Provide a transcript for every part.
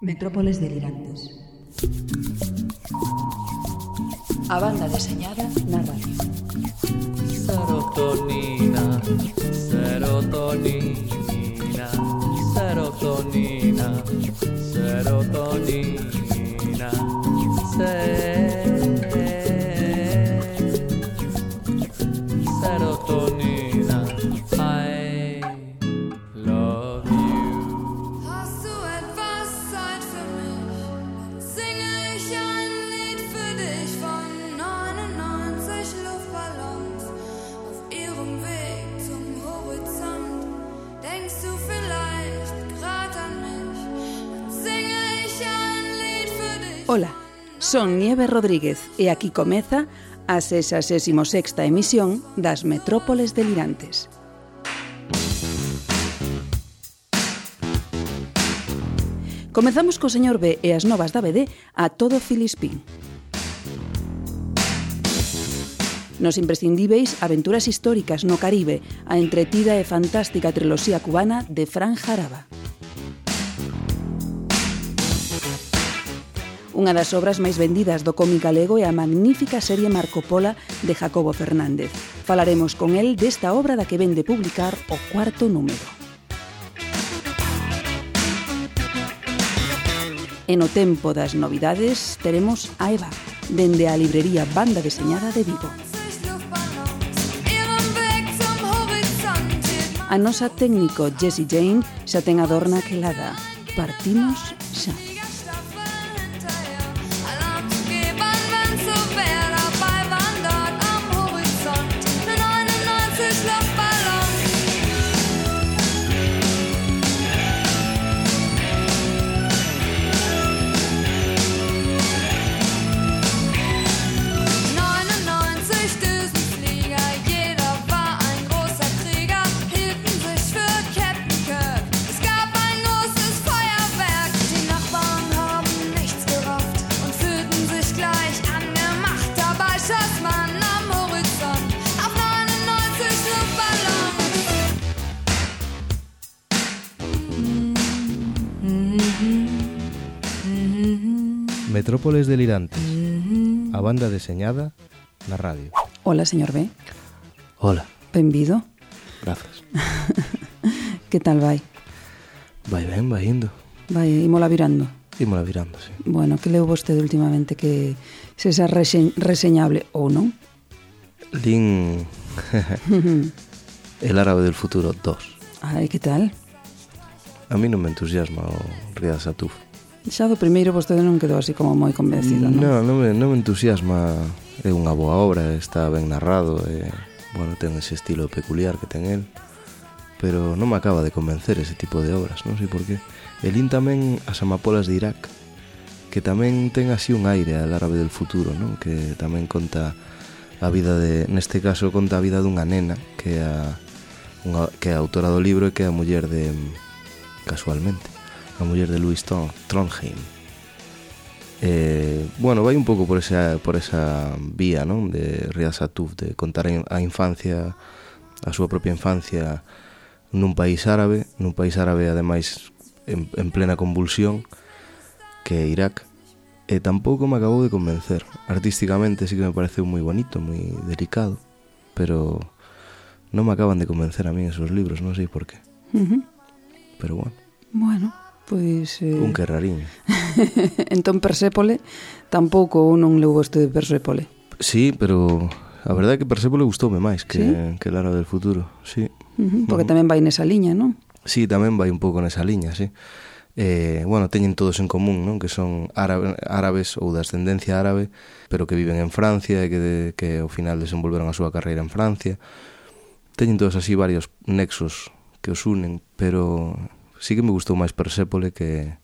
Metrópoles delirantes. A banda deseñada na radio. Serotonina, serotonina, serotonina, serotonina, serotonina, I love you. Hast du etwas Zeit für mich? Singe ich ein Lied für dich von 99 Luftballons auf ihrem Weg zum Horizont. Denkst du vielleicht grad an mich? Dann singe ich ein Lied für dich. Ola, son Nieve Rodríguez e aquí comeza a 66ª emisión das Metrópoles delirantes. Comezamos co señor B e as novas da BD a todo Filispín. Nos imprescindíveis aventuras históricas no Caribe, a entretida e fantástica triloxía cubana de Fran Jaraba. Unha das obras máis vendidas do cómic galego é a magnífica serie Marco Pola de Jacobo Fernández. Falaremos con el desta obra da que ven de publicar o 4º número. E no tempo das novidades teremos a Eva, dende a librería Banda Deseñada de Vigo. A nosa técnico Jessie Jane xa ten a dorna quelada. Partimos xa. Metrópoles delirantes. A banda deseñada na radio. Hola, señor B. Hola. Benvido. Grazas. Que tal vai? Vai ben, vai indo. Vai, imola virando. Imola virando, sí. Bueno, que leu vostede últimamente que se xa reseñable ou non? Lin El árabe del futuro 2. Ai, que tal? A mí non me entusiasma o Riad Satuf. Xa do primeiro vostede non quedou así como moi convencido, non? Non me entusiasma. É unha boa obra, está ben narrado e, bueno, ten ese estilo peculiar que ten el, pero non me acaba de convencer ese tipo de obras, non sei por qué. E lin tamén As amapolas de Irak, que tamén ten así un aire al árabe del futuro, non? Que tamén conta a vida de, neste caso conta a vida dunha nena que é a autora do libro e que é a muller de, casualmente, a muller de Louis Trondheim. Bueno, vai un pouco por esa vía, non? De Riad Satuf, de contar a infancia, a súa propia infancia nun país árabe ademais en plena convulsión, que é Irak. E tampouco me acabou de convencer. Artísticamente sí que me pareceu moi bonito, moi delicado, pero non me acaban de convencer a mí esos libros, non sei por qué. Pero bueno. Bueno, pois... Un que rarín. Entón Persépole tampouco non leu vostede Persépole. Sí, pero a verdade é que Persépole gustoume máis que, ¿Sí? Que El árabe del futuro, sí. Porque tamén vai nesa liña, non? Sí, tamén vai un pouco nesa liña, sí. Bueno, teñen todos en común, non? Que son árabes ou de ascendencia árabe, pero que viven en Francia e que ao final desenvolveron a súa carreira en Francia. Teñen todos así varios nexos que os unen, pero sí que me gustou máis Persépole que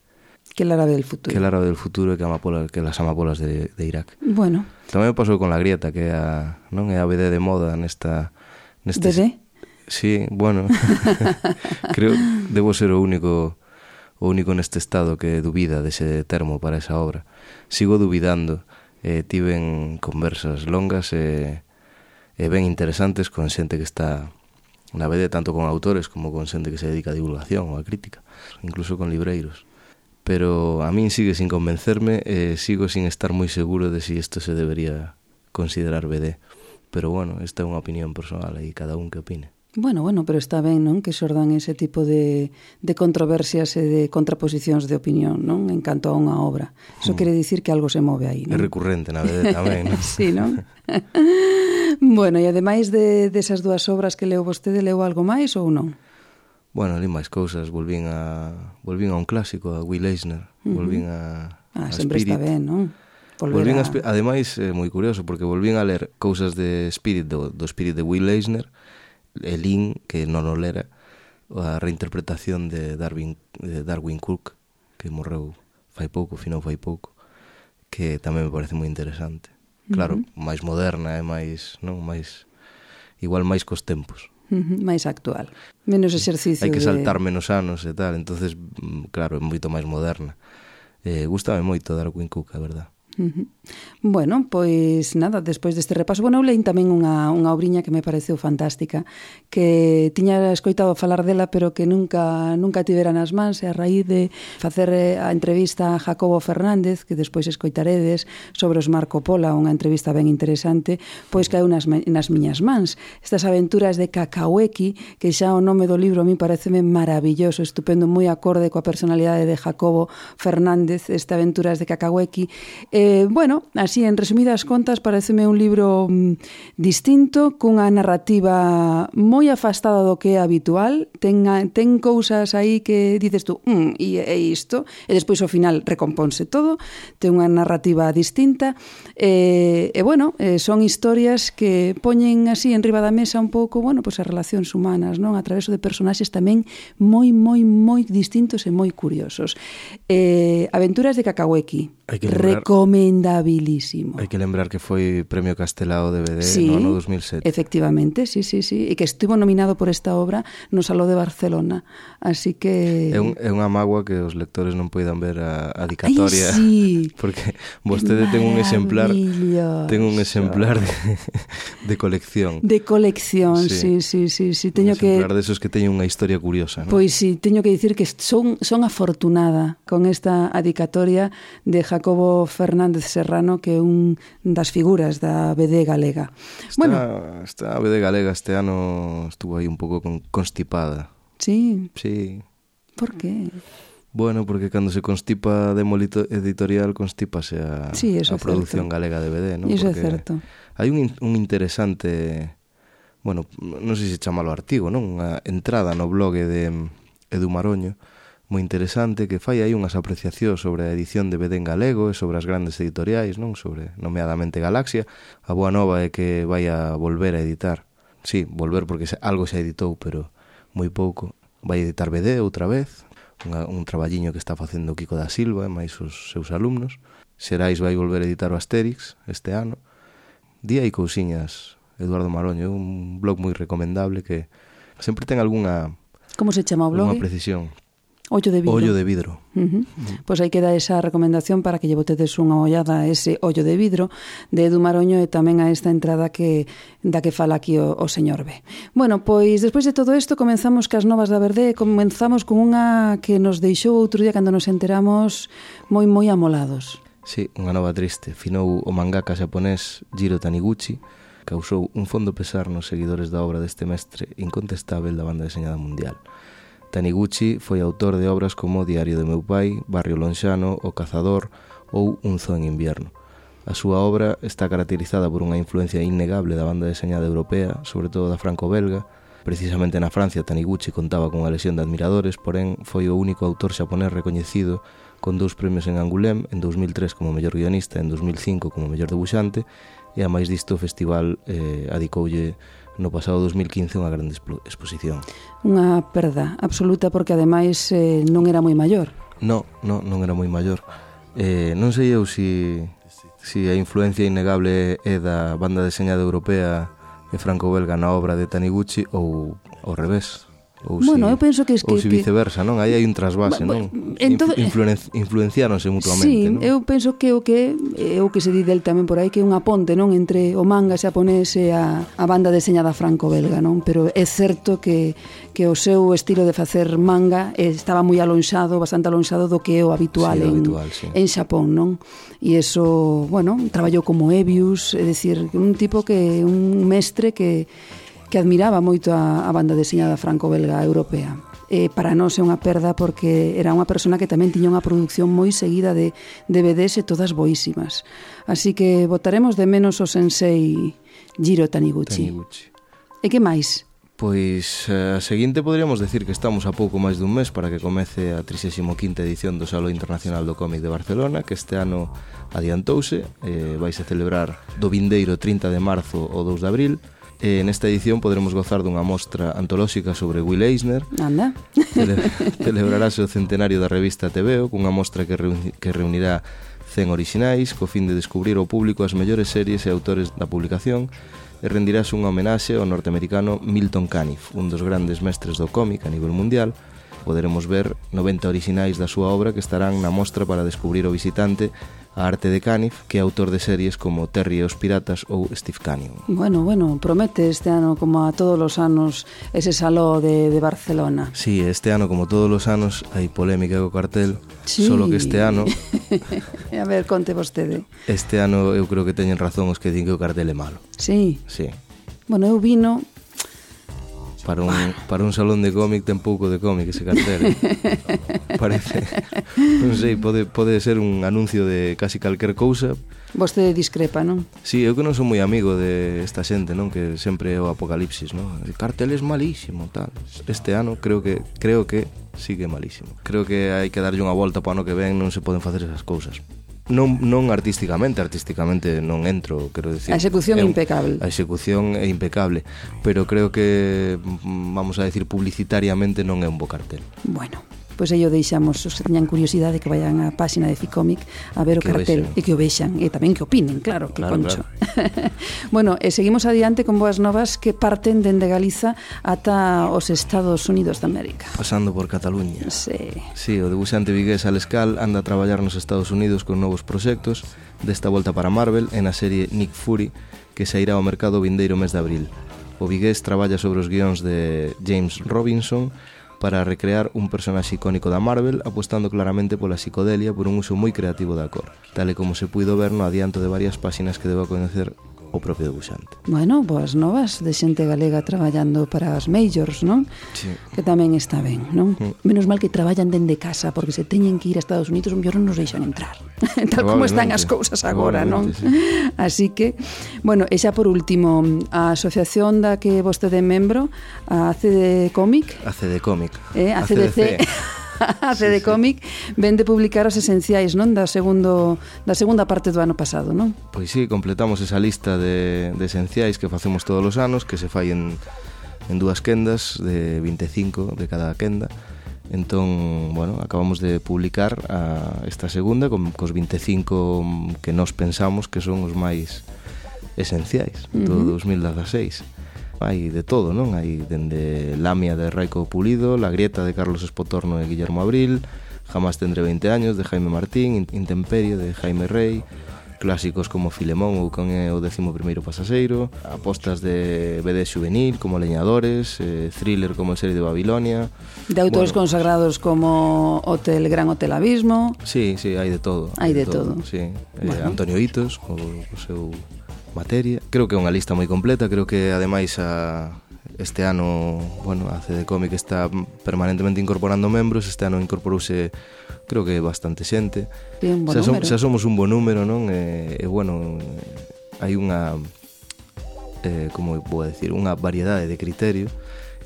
El árabe del futuro. Que El árabe del futuro e que las amapolas de Irak. Bueno. Tamén me pasou con La Grieta, que é a BD de moda neste... BD? Sí, bueno. Creo debo ser o único neste estado que dubida dese termo para esa obra. Sigo dubidando. Tiven conversas longas e ben interesantes con xente que está na BD, tanto con autores como con xente que se dedica a divulgación ou a crítica, incluso con libreiros. pero a min sigue sin convencerme e sigo sin estar moi seguro de si isto se debería considerar BD. Pero bueno, esta é unha opinión personal e cada un que opine. Bueno, pero está ben, non? Que xordan ese tipo de controversias e de contraposicións de opinión, non? En canto a unha obra. Eso quere dicir que algo se move aí, non? É recurrente na BD tamén, non? Sí, non? Bueno, e ademais desas dúas obras que leu vostede, leu algo máis ou non? Bueno, li máis cousas, volvín a un clásico, a Will Eisner, volvín a sempre Spirit. está ben, non? Ademais, é moi curioso, porque volvín a ler cousas de Spirit, do Spirit de Will Eisner, e lin, que non o lera, a reinterpretación de Darwin Cook, que morreu finou fai pouco, que tamén me parece moi interesante. Claro, máis moderna e máis, non, máis igual máis cos tempos. Máis actual, menos exercicio. Hai que saltar menos anos e tal, entonces, claro, é moito máis moderna. Gústame moito Darwin Cook, a verdad. Bueno, pois nada, despois deste repaso, eu leín tamén unha obriña que me pareceu fantástica, que tiña escoitado falar dela, pero que nunca tivera nas mans, e a raíz de facer a entrevista a Jacobo Fernández, que despois escoitaredes, sobre os Marco Pola, unha entrevista ben interesante, pois caeu nas miñas mans. Estas aventuras de Kakaweki, que xa o nome do libro a mí pareceme maravilloso, estupendo, moi acorde coa personalidade de Jacobo Fernández, estas aventuras de Kakaweki. Bueno, así, en resumidas contas, pareceme un libro distinto, cunha narrativa moi afastada do que é habitual, ten cousas aí que dices tú, e isto, e despois ao final recomponse todo, ten unha narrativa distinta, e bueno, son historias que poñen así en riba da mesa un pouco, bueno, pois as relacións humanas, non? A través de personaxes tamén moi distintos e moi curiosos. Aventuras de Kakaweki, recomendabilísimo. Hai que lembrar que foi Premio Castelao DVD no 2007. Efectivamente, sí, e que estivo nominado por esta obra no Saló de Barcelona, así que... É unha mágoa que os lectores non poidan ver a dedicatoria. Ai, sí. Porque vostede ten un exemplar de colección. De colección, sí. Teño que... Un exemplar desos que teñen unha historia curiosa, ¿no? Pois sí, teño que dicir que son afortunada con esta dedicatoria de Jacobo Fernández Serrano, que é un das figuras da BD galega. Esta BD galega este ano estuvo aí un pouco constipada. Sí? Sí. Por qué? Bueno, porque cando se constipa demo editorial, constipase a produción galega de BD, non? Iso é certo. Hai un interesante, bueno, non sei se chamalo artigo, non? Unha entrada no blog de Edu Maroño, moi interesante, que fai aí unhas apreciacións sobre a edición de BD en galego e sobre as grandes editoriais, non? Sobre, nomeadamente, Galaxia. A boa nova é que vai a volver a editar. Sí, volver porque algo se editou, pero moi pouco. Vai editar BD outra vez, un traballiño que está facendo Kiko da Silva e máis os seus alumnos. Xerais vai volver a editar o Asterix este ano. Día e cousiñas, Eduardo Maroño, un blog moi recomendable que sempre ten algunha... Como se chama o blog? Unha precisión. Ollo de vidro. Ollo de vidro. Pois aí queda esa recomendación para que lle botedes unha ollada a ese Ollo de vidro de Edu Maroño e tamén a esta entrada da que fala aquí o señor B. Bueno, pois despois de todo isto comenzamos cas novas da Verde e comenzamos con unha que nos deixou outro día cando nos enteramos moi amolados. Sí, unha nova triste. Finou o mangaka xaponés Jiro Taniguchi, causou un fondo pesar nos seguidores da obra deste mestre incontestável da banda deseñada mundial. Taniguchi foi autor de obras como Diario de meu pai, Barrio Lonxano, O Cazador ou Un zoo en invierno. A súa obra está caracterizada por unha influencia innegable da banda deseñada europea, sobre todo da franco-belga. Precisamente na Francia, Taniguchi contaba con unha lexión de admiradores, porén foi o único autor xaponés recoñecido con 2 premios en Angoulême, en 2003 como mellor guionista e en 2005 como mellor debuxante, e a máis disto o festival adicoulle no pasado 2015 unha grande exposición. Unha perda absoluta porque ademais non era moi maior. Non era moi maior. Non sei eu se a influencia innegable é da banda deseñada europea e franco-belga na obra de Taniguchi ou ao revés. Ou Bueno, eu penso que ou se viceversa, non? Aí hai un trasvase, non? Influenciáronse mutuamente, sí, non? eu penso que o que se di del tamén por aí que é unha ponte, non, entre o manga xaponés e a banda deseñada franco-belga, non? Pero é certo que o seu estilo de facer manga estaba moi alonxado, bastante alonxado do que é o habitual, sí. en Xapón, non? E eso, bueno, traballou como Ebius, é dicir, un tipo un mestre que admiraba moito a banda deseñada franco-belga europea. Para nós é unha perda porque era unha persona que tamén tiña unha produción moi seguida de DVDs e todas boísimas. Así que botaremos de menos o sensei Jiro Taniguchi. E que máis? Pois a seguinte podríamos decir que estamos a pouco máis dun mes para que comece a 35ª edición do Salón Internacional do Cómic de Barcelona, que este ano adiantouse, vaise celebrar do vindeiro 30 de marzo ao 2 de abril. Nesta edición poderemos gozar dunha mostra antolóxica sobre Will Eisner. Anda. Celebrarase o centenario da revista TVO, cunha mostra que reunirá 100 orixinais co fin de descubrir ao público as mellores series e autores da publicación, e rendirase unha homenaxe ao norteamericano Milton Caniff, un dos grandes mestres do cómic a nivel mundial. Poderemos ver 90 orixinais da súa obra que estarán na mostra para descubrir o visitante a arte de Caniff, que é autor de series como Terry e os Piratas ou Steve Canyon. Bueno, promete este ano, como a todos os anos, ese saló de Barcelona. Sí, este ano, como todos os anos, hai polémica co cartel, solo que este ano... A ver, conte vostede. Este ano eu creo que teñen razón os que din que o cartel é malo. Sí? Sí. Bueno, eu vino... Para un salón de cómic ten pouco de cómic ese cartel. Parece, non sei, pode ser un anuncio de casi calquer cousa. Vostede discrepa, non? Sí, eu que non son moi amigo de esta xente, non? Que sempre é o apocalipsis, non? El cartel é malísimo, tal. Este ano creo que sí que é malísimo. Creo que hai que darlle unha volta para o ano que ven, non se poden facer esas cousas. Non artísticamente non entro, quero decir. A execución é impecable. A execución é impecable, pero creo que, vamos a decir, publicitariamente non é un bo cartel. Bueno, pois aí o deixamos, os que teñan curiosidade que vayan á páxina de Ficomic a ver o cartel e que o vexan, e tamén que opinen, claro, que claro, concho. Claro. Bueno, seguimos adiante con boas novas que parten dende Galiza ata os Estados Unidos de América. Pasando por Cataluña. Sí, o debuxante vigués Alescal anda a traballar nos Estados Unidos con novos proxectos, desta volta para Marvel, en a serie Nick Fury, que sairá ao mercado o vindeiro mes de abril. O vigués traballa sobre os guións de James Robinson para recrear un personaxe icónico da Marvel, apostando claramente pola psicodelia por un uso moi creativo da cor, tal e como se puido ver no adianto de varias páxinas que debo coñecer o propio debuxante. Bueno, boas novas de xente galega traballando para as majors, non? Sí. Que tamén está ben, non? Menos mal que traballan dende casa, porque se teñen que ir a Estados Unidos, mellor non nos deixan entrar. Tal como están as cousas agora, non? Sí. Así que, bueno, e xa por último, a asociación da que vostede é membro, a ACD Comic. ACD Comic. ACDC. A CD Comic ven de publicar os esenciais, non, da segunda parte do ano pasado, non? Pois sí, completamos esa lista de esenciais que facemos todos os anos, que se fai en dúas quendas de 25 de cada quenda. Entón, bueno, acabamos de publicar esta segunda cos 25 que nós pensamos que son os máis esenciais do 2016. Hai de todo, non? Hai dende Lamia de Raico Pulido, La Grieta de Carlos Espotorno e Guillermo Abril, Jamás tendré 20 años de Jaime Martín, Intemperie de Jaime Rey, clásicos como Filemón ou Con é o 11º pasaxeiro, apostas de BD juvenil como Leñadores, thriller como El serie de Babilonia. De autores consagrados como Gran Hotel Abismo. Sí, hai de todo. Hai de todo. Sí. Antonio Hitos, o seu Materia. Creo que é unha lista moi completa, creo que ademais este ano, bueno, a CD Comic está permanentemente incorporando membros, este ano incorporouse creo que bastante xente. Xa somos un bo número, non? E bueno, hai unha como vou decir, unha variedade de criterio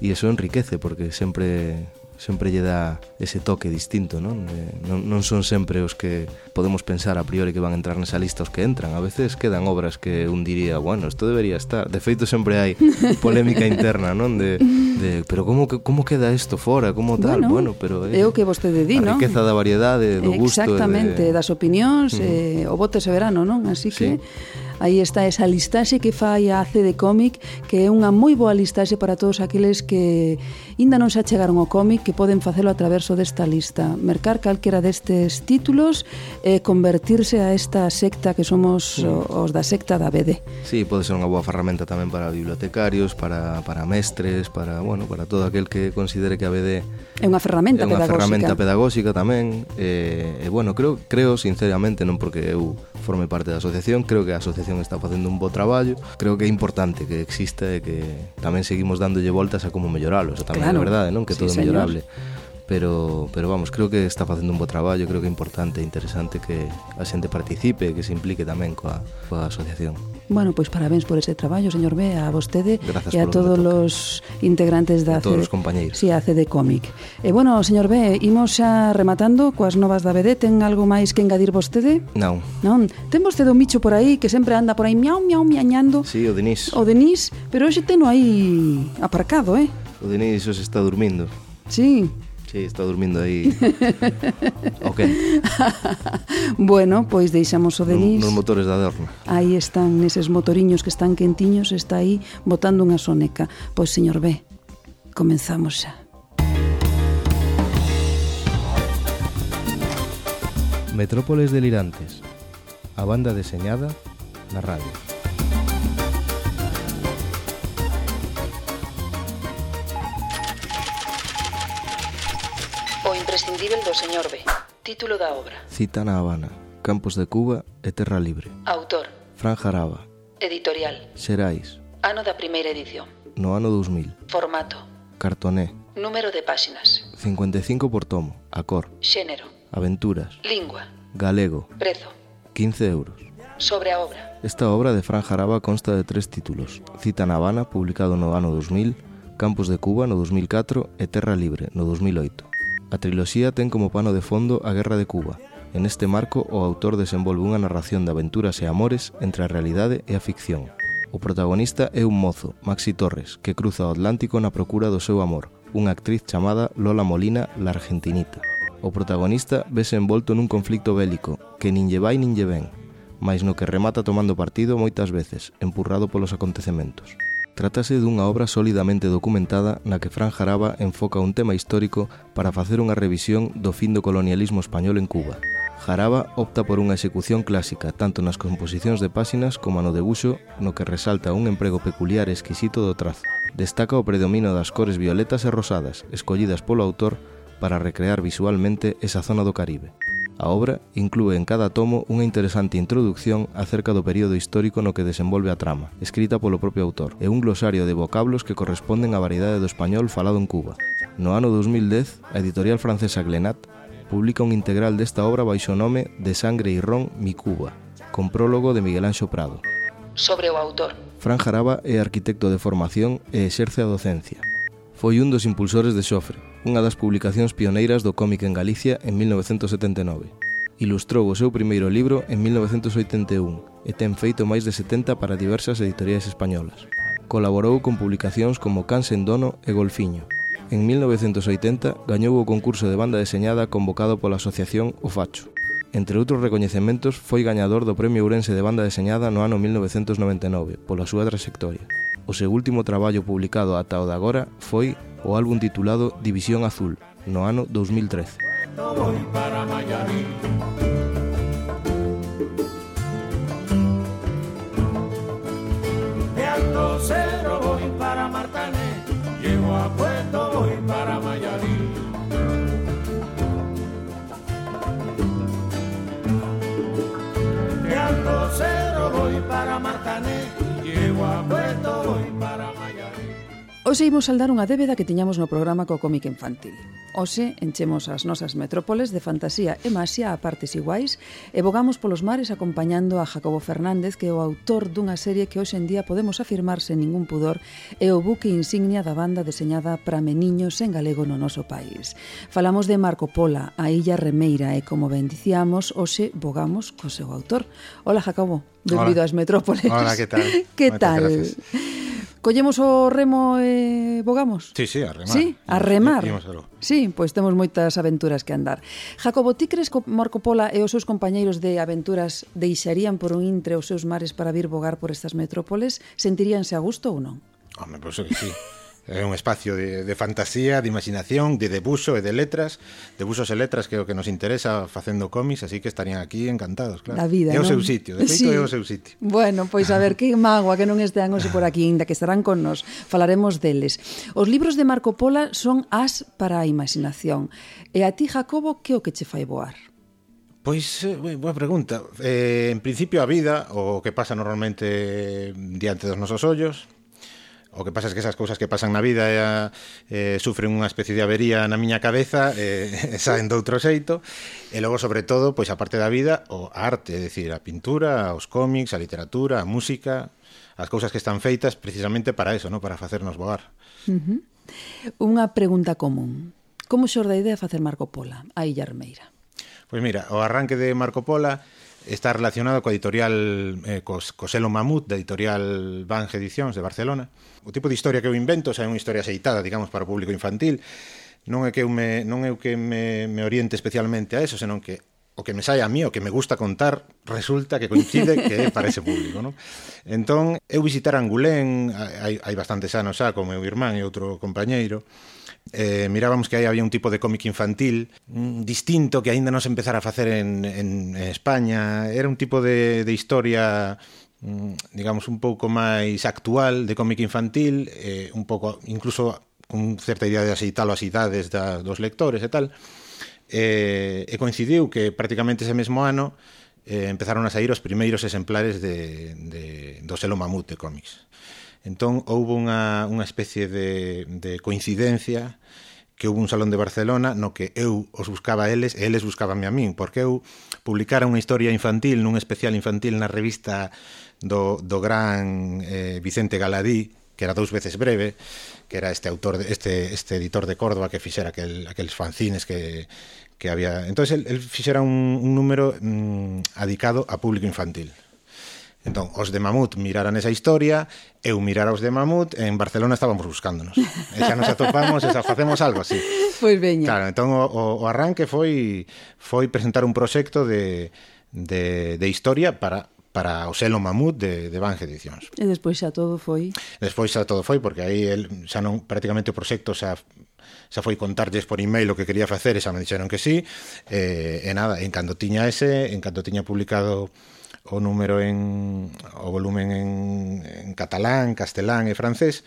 e iso enriquece porque sempre lle dá ese toque distinto, non? Non son sempre os que podemos pensar a priori que van a entrar nesa lista os que entran. A veces quedan obras que un diría, bueno, isto debería estar. De feito, sempre hai polémica interna, non? Pero como queda isto fora? Como tal? Bueno, pero é o que vostede di, non? A riqueza da variedade, do gusto. Exactamente, das opinións, o voto ese verano, non? Así que Aí está esa listaxe que fai a ACD Comic, que é unha moi boa listaxe para todos aqueles que ainda non se achegaron ao cómic, que poden facelo a traverso desta lista, mercar calquera destes títulos e convertirse a esta secta que somos os da secta da BD. Sí, pode ser unha boa ferramenta tamén para bibliotecarios, para mestres, para todo aquel que considere que a BD é unha ferramenta pedagóxica. É unha ferramenta pedagóxica tamén. Creo sinceramente, non porque eu forme parte da asociación, creo que a asociación está facendo un bo traballo, creo que é importante que exista e que tamén seguimos dándolle voltas a como melloralo, eso tamén é verdade, non? Que todo é mellorable. Pero vamos, creo que está facendo un bo traballo, creo que é importante e interesante que a xente participe e que se implique tamén coa asociación. Bueno, pois parabéns por ese traballo, señor B, a vostede e a todos os integrantes da todos os compañeiros. Sí, a CD Comic. E bueno, señor B, imos xa rematando coas novas da BD. Ten algo máis que engadir vostede? Non. Non? Ten vostede un bicho por aí que sempre anda por aí miau, miau, miañando? Sí, o Denis. O Denis, pero hoxe teno aí aparcado, O Denis hoxe está dormindo. Sí. Sí, está dormindo aí. Ok. Bueno, pois deixamos o Denis nos motores da Adorna. Aí están, neses motoriños que están quentiños, está aí botando unha soneca. Pois, señor B, comenzamos xa. Metrópoles delirantes. A banda deseñada na radio. O imprescindível do señor B. Título da obra. Cita na Habana, Campos de Cuba e Terra Libre. Autor. Fran Jaraba. Editorial. Xerais. Ano da primeira edición. No ano 2000. Formato. Cartoné. Número de páxinas. 55 por tomo. A cor. Xénero. Aventuras. Lingua. Galego. Prezo. 15 euros. Sobre a obra. Esta obra de Fran Jaraba consta de 3 títulos. Cita na Habana, publicado no ano 2000, Campos de Cuba no 2004 e Terra Libre no 2008. A triloxía ten como pano de fondo a Guerra de Cuba. En este marco, o autor desenvolve unha narración de aventuras e amores entre a realidade e a ficción. O protagonista é un mozo, Maxi Torres, que cruza o Atlántico na procura do seu amor, unha actriz chamada Lola Molina, la Argentinita. O protagonista vese envolto nun conflicto bélico, que nin lle vai nin lle ven, mais no que remata tomando partido moitas veces, empurrado polos acontecementos. Trátase dunha obra solidamente documentada na que Fran Jaraba enfoca un tema histórico para facer unha revisión do fin do colonialismo español en Cuba. Jaraba opta por unha execución clásica, tanto nas composicións de páxinas como no debuxo, no que resalta un emprego peculiar e exquisito do trazo. Destaca o predomino das cores violetas e rosadas, escollidas polo autor para recrear visualmente esa zona do Caribe. A obra inclúe en cada tomo unha interesante introducción acerca do período histórico no que desenvolve a trama, escrita polo propio autor, e un glosario de vocablos que corresponden á variedade do español falado en Cuba. No ano 2010, a editorial francesa Glenat publica un integral desta obra baixo o nome De Sangre e Ron, mi Cuba, con prólogo de Miguel Anxo Prado. Sobre o autor. Fran Jaraba é arquitecto de formación e exerce a docencia. Foi un dos impulsores de Xofre, unha das publicacións pioneiras do cómic en Galicia en 1979. Ilustrou o seu primeiro libro en 1981 e ten feito máis de 70 para diversas editoriais españolas. Colaborou con publicacións como Can sen dono e Golfiño. En 1980 gañou o concurso de banda deseñada convocado pola asociación O Facho. Entre outros recoñecementos, foi gañador do Premio Ourense de Banda Deseñada no ano 1999, pola súa trayectoria. O seu último traballo publicado ata o de agora foi o álbum titulado División Azul, no ano 2013. Voy para Miami. De Alto Cero voy para Martané, llego a Puerto, voy para Miami. De Alto Cero voy para Martané, llego a Puerto, voy para Miami. Hoxe imos saldar unha débeda que tiñamos no programa co cómic infantil. Hoxe enchemos as nosas metrópoles de fantasía e maxia a partes iguais e vogamos polos mares acompañando a Jacobo Fernández, que é o autor dunha serie que hoxe en día podemos afirmar sen ningún pudor é o buque insignia da banda deseñada para meniños en galego no noso país. Falamos de Marco Pola, a Illa Remeira, e como ben dicíamos, hoxe vogamos co seu autor. Hola, Jacobo, benvido ás metrópoles. Hola, que tal? Que Moitas tal? gracias. Collemos o remo e bogamos? Sí, a remar. Sí, a remar. Imos algo. Sí, pois temos moitas aventuras que andar. Jacobo, ti crees que Marco Polo e os seus compañeiros de aventuras deixarían por un intre os seus mares para vir bogar por estas metrópoles? Sentiríanse a gusto ou non? Home, pois que sí. É un espacio de fantasía, de imaginación, de debuxo e de letras, debuxos e letras que é o que nos interesa facendo cómics, así que estarían aquí encantados, claro. Da vida, é o non? seu sitio, de feito é o seu sitio. Bueno, pois a ver, que mágoa que non estean hoxe por aquí, ainda que estarán con nos, falaremos deles. Os libros de Marco Polo son as para a imaginación. E a ti, Jacobo, que o que che fai voar? Pois, boa pregunta. En principio a vida, o que pasa normalmente diante dos nosos ollos. O que pasa é que esas cousas que pasan na vida sufren unha especie de avería na miña cabeza e saen de outro xeito. E logo, sobre todo, pois a parte da vida, a arte, é dicir, a pintura, os cómics, a literatura, a música, as cousas que están feitas precisamente para eso, ¿no? Para facernos voar. Unha pregunta común. Como xorde a idea de facer Marco Polo, a Illa Armeira? Pois mira, o arranque de Marco Polo está relacionado coa editorial co selo Mamut, da editorial Bange Edicións de Barcelona. O tipo de historia que eu invento é unha historia aceitada, digamos, para o público infantil. Non é que eu me oriente especialmente a eso, senón que o que me sai a mí, o que me gusta contar, resulta que coincide que é para ese público, non? Entón, eu visitar Angulén hai bastantes anos xa, con meu irmán e outro compañeiro. Mirábamos que aí había un tipo de cómic infantil distinto que aínda non se empezara a facer en España. Era un tipo de historia, digamos, un pouco máis actual de cómic infantil, un pouco, incluso con certa idea de axeitalo ás idades dos lectores e tal. E coincidiu que prácticamente ese mesmo ano empezaron a sair os primeiros exemplares do selo Mamut de cómics. Entón, houve unha especie de coincidencia que houve un salón de Barcelona no que eu os buscaba a eles e eles buscabanme a min, porque eu publicara unha historia infantil nun especial infantil na revista do gran Vicente Galadí, que era 2 veces breve, que era este autor, este editor de Córdoba que fixera aqueles fanzines que había. Entón, el fixera un número adicado a público infantil. Entón, os de Mamut miraran esa historia, eu mirara os de Mamut, en Barcelona estábamos buscándonos. E xa nos atopamos, e xa facemos algo así. Pois veña. Claro, entón o arranque foi presentar un proxecto de historia para o selo Mamut de Bange Edicións. E despois xa todo foi... Despois xa todo foi, porque aí xa non, prácticamente o proxecto xa foi contarlles por email o que quería facer, e xa me dixeron que sí, e nada, en canto tiña publicado o número o volumen en catalán, castelán e francés,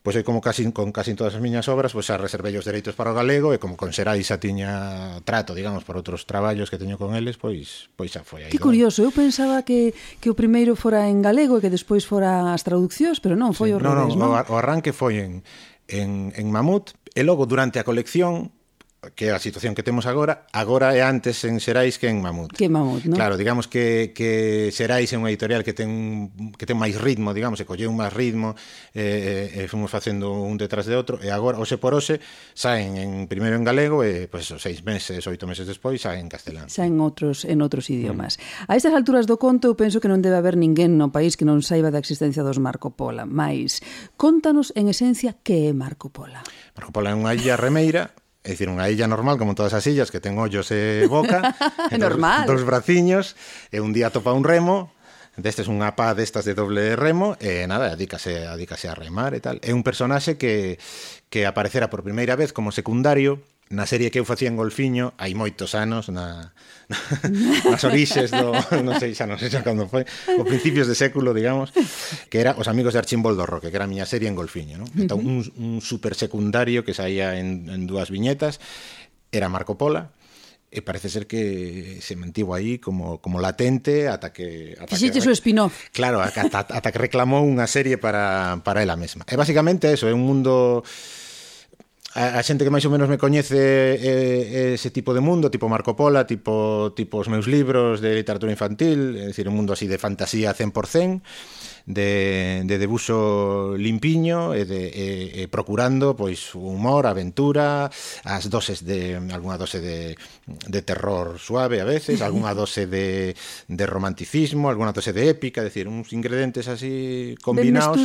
pois como con casi todas as miñas obras, pois xa reservei os dereitos para o galego, e como con Xerais xa tiña trato, digamos, por outros traballos que teño con eles, pois xa foi aí. Que curioso, eu pensaba que o primeiro fora en galego e que despois fora as traduccións, pero non, foi o revés, non? O arranque foi en Mamut, e logo durante a colección, que é a situación que temos agora é antes en Xerais que en Mamut. Que Mamut, non? Claro, digamos que Xerais é unha editorial que ten máis ritmo, digamos, e colleu máis ritmo, e fomos facendo un detrás de outro, e agora, hoxe por hoxe, saen primeiro en galego, e, pois, 6 meses, 8 meses despois, saen en castelán. Saen en outros idiomas. A estas alturas do conto, eu penso que non debe haber ninguén no país que non saiba da existencia dos Marco Polo, mais contanos, en esencia, que é Marco Polo. Marco Polo é unha illa remeira, é dicir, unha illa normal, como todas as illas, que ten ollos e boca, normal. Dos braciños, e un día topa un remo, destes unha pá destas de doble remo, e nada, adícase a remar e tal. É un personaxe que aparecera por primeira vez como secundario na serie que eu facía en Golfiño hai moitos anos, nas orixes non sei xa cando foi, o principios de século, digamos, que era Os amigos de Archimboldo Roque, que era a miña serie en Golfiño, non? Entón, un super secundario que saía en 2 viñetas era Marco Polo, e parece ser que se mantivo aí como latente ata que fixeches o spin-off. Claro, ata que reclamou unha serie para ela mesma. E basicamente eso, é un mundo... a xente que máis ou menos me coñece ese tipo de mundo, tipo Marco Pola, tipo os meus libros de literatura infantil, é dicir, un mundo así de fantasía 100%, de debuxo limpiño e procurando pois humor, aventura, as doses de algunha dose de terror suave a veces, algunha dose de romanticismo, algunha dose de épica, é dicir, uns ingredientes así combinados,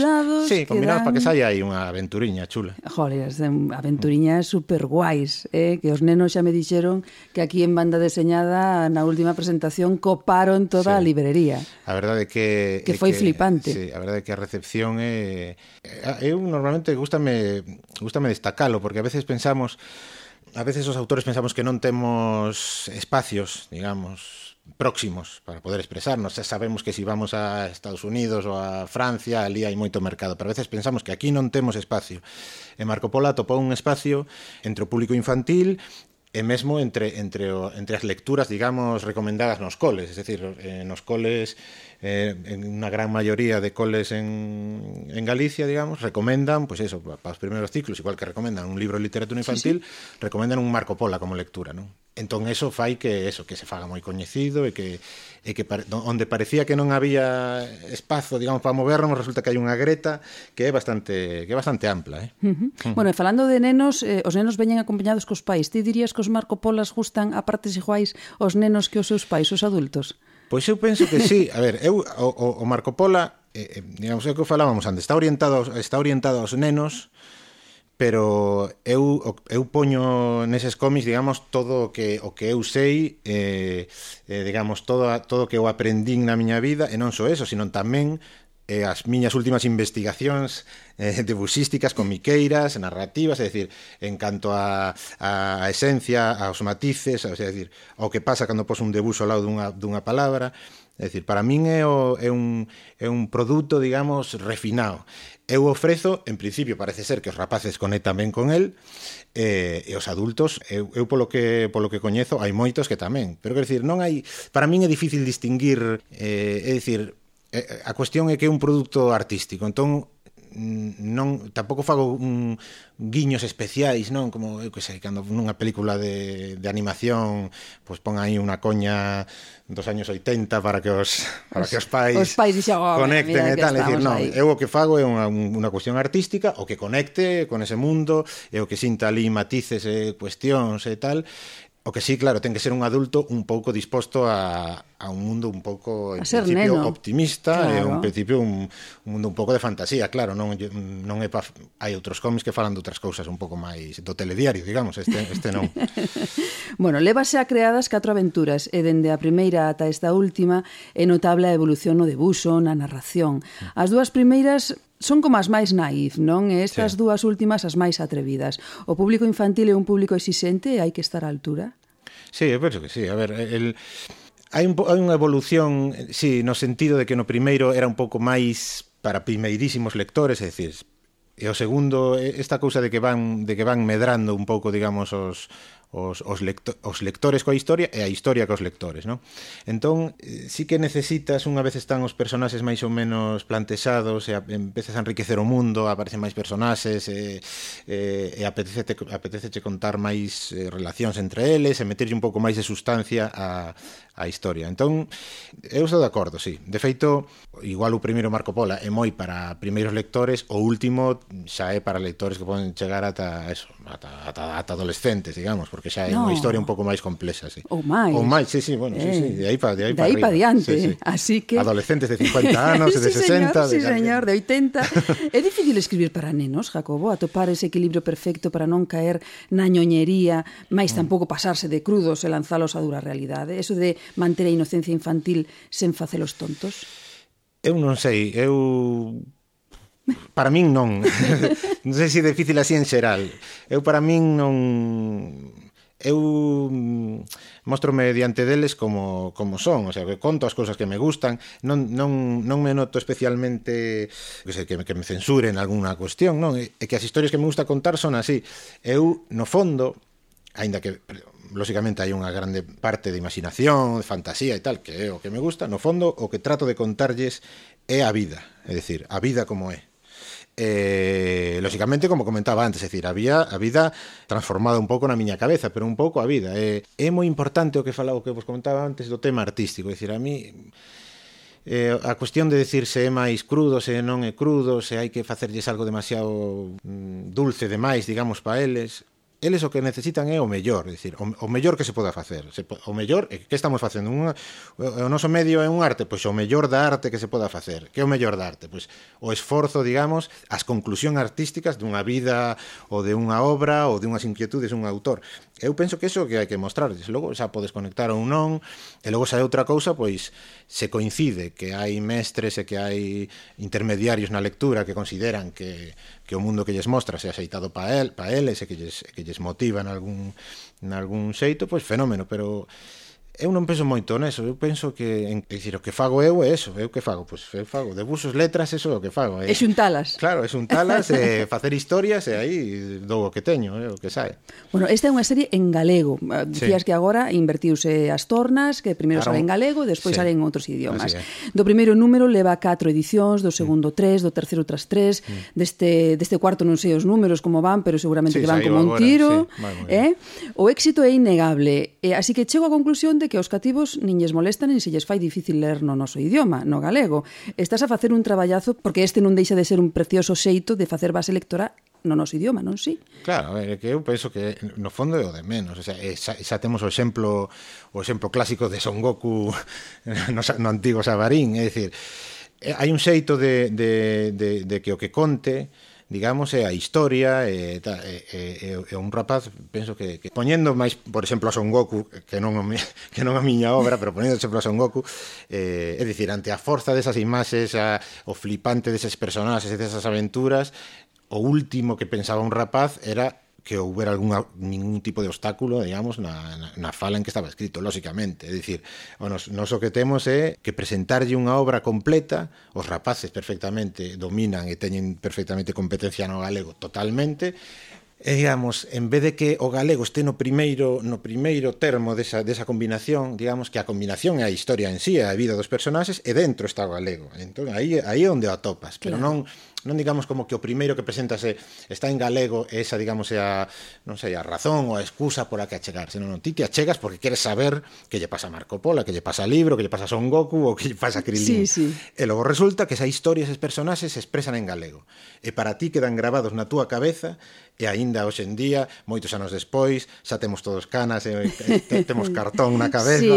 sí, combinados para que saia aí unha aventuriña chula. Joder, aventuriñas super guais, que os nenos xa me dixeron que aquí en Banda Deseñada na última presentación coparon toda a librería. A verdade é que foi flipante. Sí, a verdade é que a recepción eu normalmente gústame destacalo, porque a veces os autores pensamos que non temos espacios, digamos, próximos para poder expresarnos. Sabemos que si vamos a Estados Unidos ou a Francia, ali hai moito mercado, pero a veces pensamos que aquí non temos espacio. E Marco Pola topou un espacio entre o público infantil e mesmo entre as lecturas, digamos, recomendadas nos coles, es decir, nos coles, en unha gran maioría de coles en Galicia, digamos, recomendan, pois eso, para os primeiros ciclos, igual que recomendan un libro de literatura infantil, recomendan un Marco Pola como lectura, non? Entón, eso fai que se faga moi coñecido e que onde parecía que non había espazo, digamos, para movernos, resulta que hai unha greta que é bastante ampla, Bueno, e falando de nenos, os nenos veñen acompañados cos pais. Ti dirías que os Marco Polas gustan a partes iguais os nenos que os seus pais, os adultos? Pois eu penso que sí. A ver, o Marco Pola, digamos, é o que falábamos antes, está orientado aos nenos, pero eu poño neses cómics, digamos, todo o que eu sei, digamos, todo o que eu aprendín na miña vida, e non só eso, sino tamén as miñas últimas investigacións debuxísticas, comiqueiras, narrativas, é dicir, en canto a esencia, aos matices, é dicir, ao que pasa cando pos un debuxo ao lado dunha palabra. É dicir, para min é un produto, digamos, refinado. Eu ofrezo, en principio parece ser que os rapaces conectan ben con el, e os adultos, eu polo que coñezo, hai moitos que tamén. Pero quero dicir, non hai, para min é difícil distinguir, é dicir, a cuestión é que é un produto artístico, entón tampouco fago guiños especiais, non? Como, eu que sei, cando nunha película de animación pois pon aí unha coña dos años 80 para que os pais conecten e tal, é dicir, non, eu o que fago é unha cuestión artística, o que conecte con ese mundo, e o que sinta ali matices e cuestións e tal. O que sí, claro, ten que ser un adulto un pouco disposto a un mundo un pouco, en principio, optimista, claro. E un principio un mundo un pouco de fantasía, claro, non é hai outros cómics que falan de outras cousas un pouco máis do telediario, digamos, este non. Bueno, lévase a creadas 4 aventuras, e dende a primeira ata esta última é notable a evolución no debuxo, na narración. As dúas primeiras son como as máis naif, non? E estas dúas últimas as máis atrevidas. O público infantil é un público exixente e hai que estar á altura? Sí, eu penso que sí. A ver, hai unha evolución, sí, no sentido de que no primeiro era un pouco máis para primeirísimos lectores, é dicir, e o segundo, esta cousa de que van medrando un pouco, digamos, os lectores coa historia e a historia cos lectores, non? Entón, sí que necesitas, unha vez están os personaxes máis ou menos plantexados e empezas a enriquecer o mundo, aparecen máis personaxes e apeteceche contar máis relacións entre eles e meterlle un pouco máis de sustancia a historia. Entón, eu estou de acordo, sí. De feito, igual o primeiro Marco Pola é moi para primeiros lectores, o último xa é para lectores que poden chegar ata adolescentes, digamos, porque xa é unha historia un pouco máis complexa, sí. Ou máis, sí, bueno, sí, de aí para diante, sí. Así que adolescentes de 50 anos, de 60, sí, señor, de 80. É difícil escribir para nenos, Jacobo, atopar ese equilibrio perfecto para non caer na ñoñería, mais tampouco pasarse de crudos e lanzalos a dura realidade. Eso de manter a inocencia infantil sen facelos tontos. Eu non sei, para min non. Non sei se é difícil así en xeral. Para min non. Eu mostrome diante deles como son, o sea, que conto as cousas que me gustan, non me noto especialmente que me censuren algunha cuestión, non? É que as historias que me gusta contar son así. Eu, no fondo, aínda que lógicamente hai unha grande parte de imaginación, de fantasía e tal, que é o que me gusta, no fondo o que trato de contarlles é a vida, é dicir, a vida como é. lóxicamente, como comentaba antes, é dicir, a vida transformada un pouco na miña cabeza, pero un pouco a vida. É moi importante o que vos comentaba antes do tema artístico, é dicir, a mí a cuestión de decir se é máis crudo, se non é crudo, se hai que facerlles algo demasiado dulce demais, digamos, para eles o que necesitan é o mellor, é dicir, o mellor que se poda facer. O mellor, que estamos facendo? O noso medio é un arte, pois o mellor da arte que se poda facer. Que é o mellor da arte? Pois o esforzo, digamos, as conclusións artísticas dunha vida ou de unha obra ou de unhas inquietudes dun autor. Eu penso que iso que hai que mostrarles. Logo xa podes conectar ou non, e logo xa é outra cousa, pois se coincide que hai mestres e que hai intermediarios na lectura que consideran que o mundo que lles mostra se axeitado para eles e que lles motiva en algún xeito, pois fenómeno, pero eu non penso moito neso, eu penso que, dicir, o que fago eu é eso, eu que fago? Pois eu fago debuxos, letras, eso é o que fago. E xuntalas. Claro, é xuntalas, facer historias e aí dou o que teño, o que sae. Bueno, esta é unha serie en galego. Dicías que agora invertiuse as tornas, que primeiro sale en galego e despois sale en outros idiomas. Do primeiro número leva 4 edicións, do segundo 3, do terceiro outras 3, deste cuarto non sei os números como van, pero seguramente que van como un tiro. O éxito é innegable, así que chego á conclusión de que os cativos nin lles molestan nin se lles fai difícil ler no noso idioma, no galego. Estás a facer un traballazo porque este non deixa de ser un precioso xeito de facer base lectora no noso idioma, non si? Claro, a ver, que eu penso que no fondo é o de menos, o sea, xa temos o exemplo clásico de Son Goku no antigo Sabarín, é dicir, hai un xeito de que o que conte, digamos, é a historia e un rapaz, penso que poñendo máis, por exemplo, a Son Goku, que non a miña obra, pero poñendo exemplo a Son Goku, é dicir, ante a forza desas imaxes, o flipante deses personaxes e desas aventuras, o último que pensaba un rapaz era que houbera ningún tipo de obstáculo, digamos, na fala en que estaba escrito, lóxicamente. É dicir, nos o que temos é que presentarlle unha obra completa, os rapaces perfectamente dominan e teñen perfectamente competencia no galego totalmente, e, digamos, en vez de que o galego este no primeiro termo desa combinación, digamos que a combinación é a historia en sí, a vida dos personaxes, e dentro está o galego. Entón, aí é onde o atopas, pero non digamos como que o primeiro que presentase está en galego e esa, digamos, é a razón ou a excusa por a que achegarse. Non, ti te achegas porque queres saber que lle pasa a Marco Polo, que lle pasa a libro, que lle pasa a Son Goku ou que lle pasa a Krilin. Sí. E logo resulta que esa historia, eses personaxes se expresan en galego. E para ti quedan gravados na túa cabeza e aínda hoxe en día, moitos anos despois, xa temos todos canas e temos cartón na cabeza,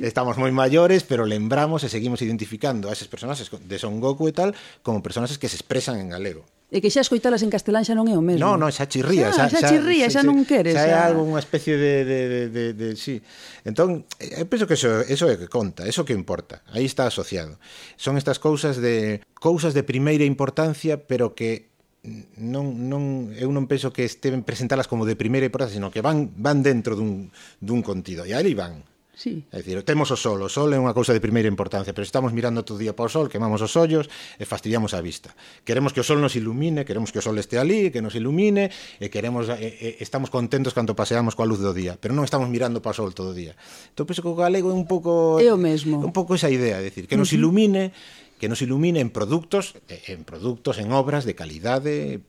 estamos moi maiores, pero lembramos e seguimos identificando a eses personaxes de Son Goku e tal como personaxes que se expresan en galego. E que xa escoitalas en castelán xa non é o mesmo. Non, xa chirría. Xa chirría, xa non queres. Xa é algo, unha especie de sí. Entón, eu penso que eso é o que conta, eso que importa. Aí está asociado. Son estas cousas de primeira importancia, pero que eu non penso que esteven presentalas como de primeira importancia, sino que van dentro dun contido. E aí van. Sí. É dicir, temos o sol é unha cousa de primeira importancia, pero estamos mirando todo o día para o sol, quemamos os ollos e fastidiamos a vista. Queremos que o sol nos ilumine, queremos que o sol este ali, que nos ilumine, e estamos contentos cando paseamos coa luz do día, pero non estamos mirando para o sol todo o día. Entón, penso que o galego é un pouco... É o mesmo. Un pouco esa idea, é dicir, que nos ilumine en produtos, en obras de calidade,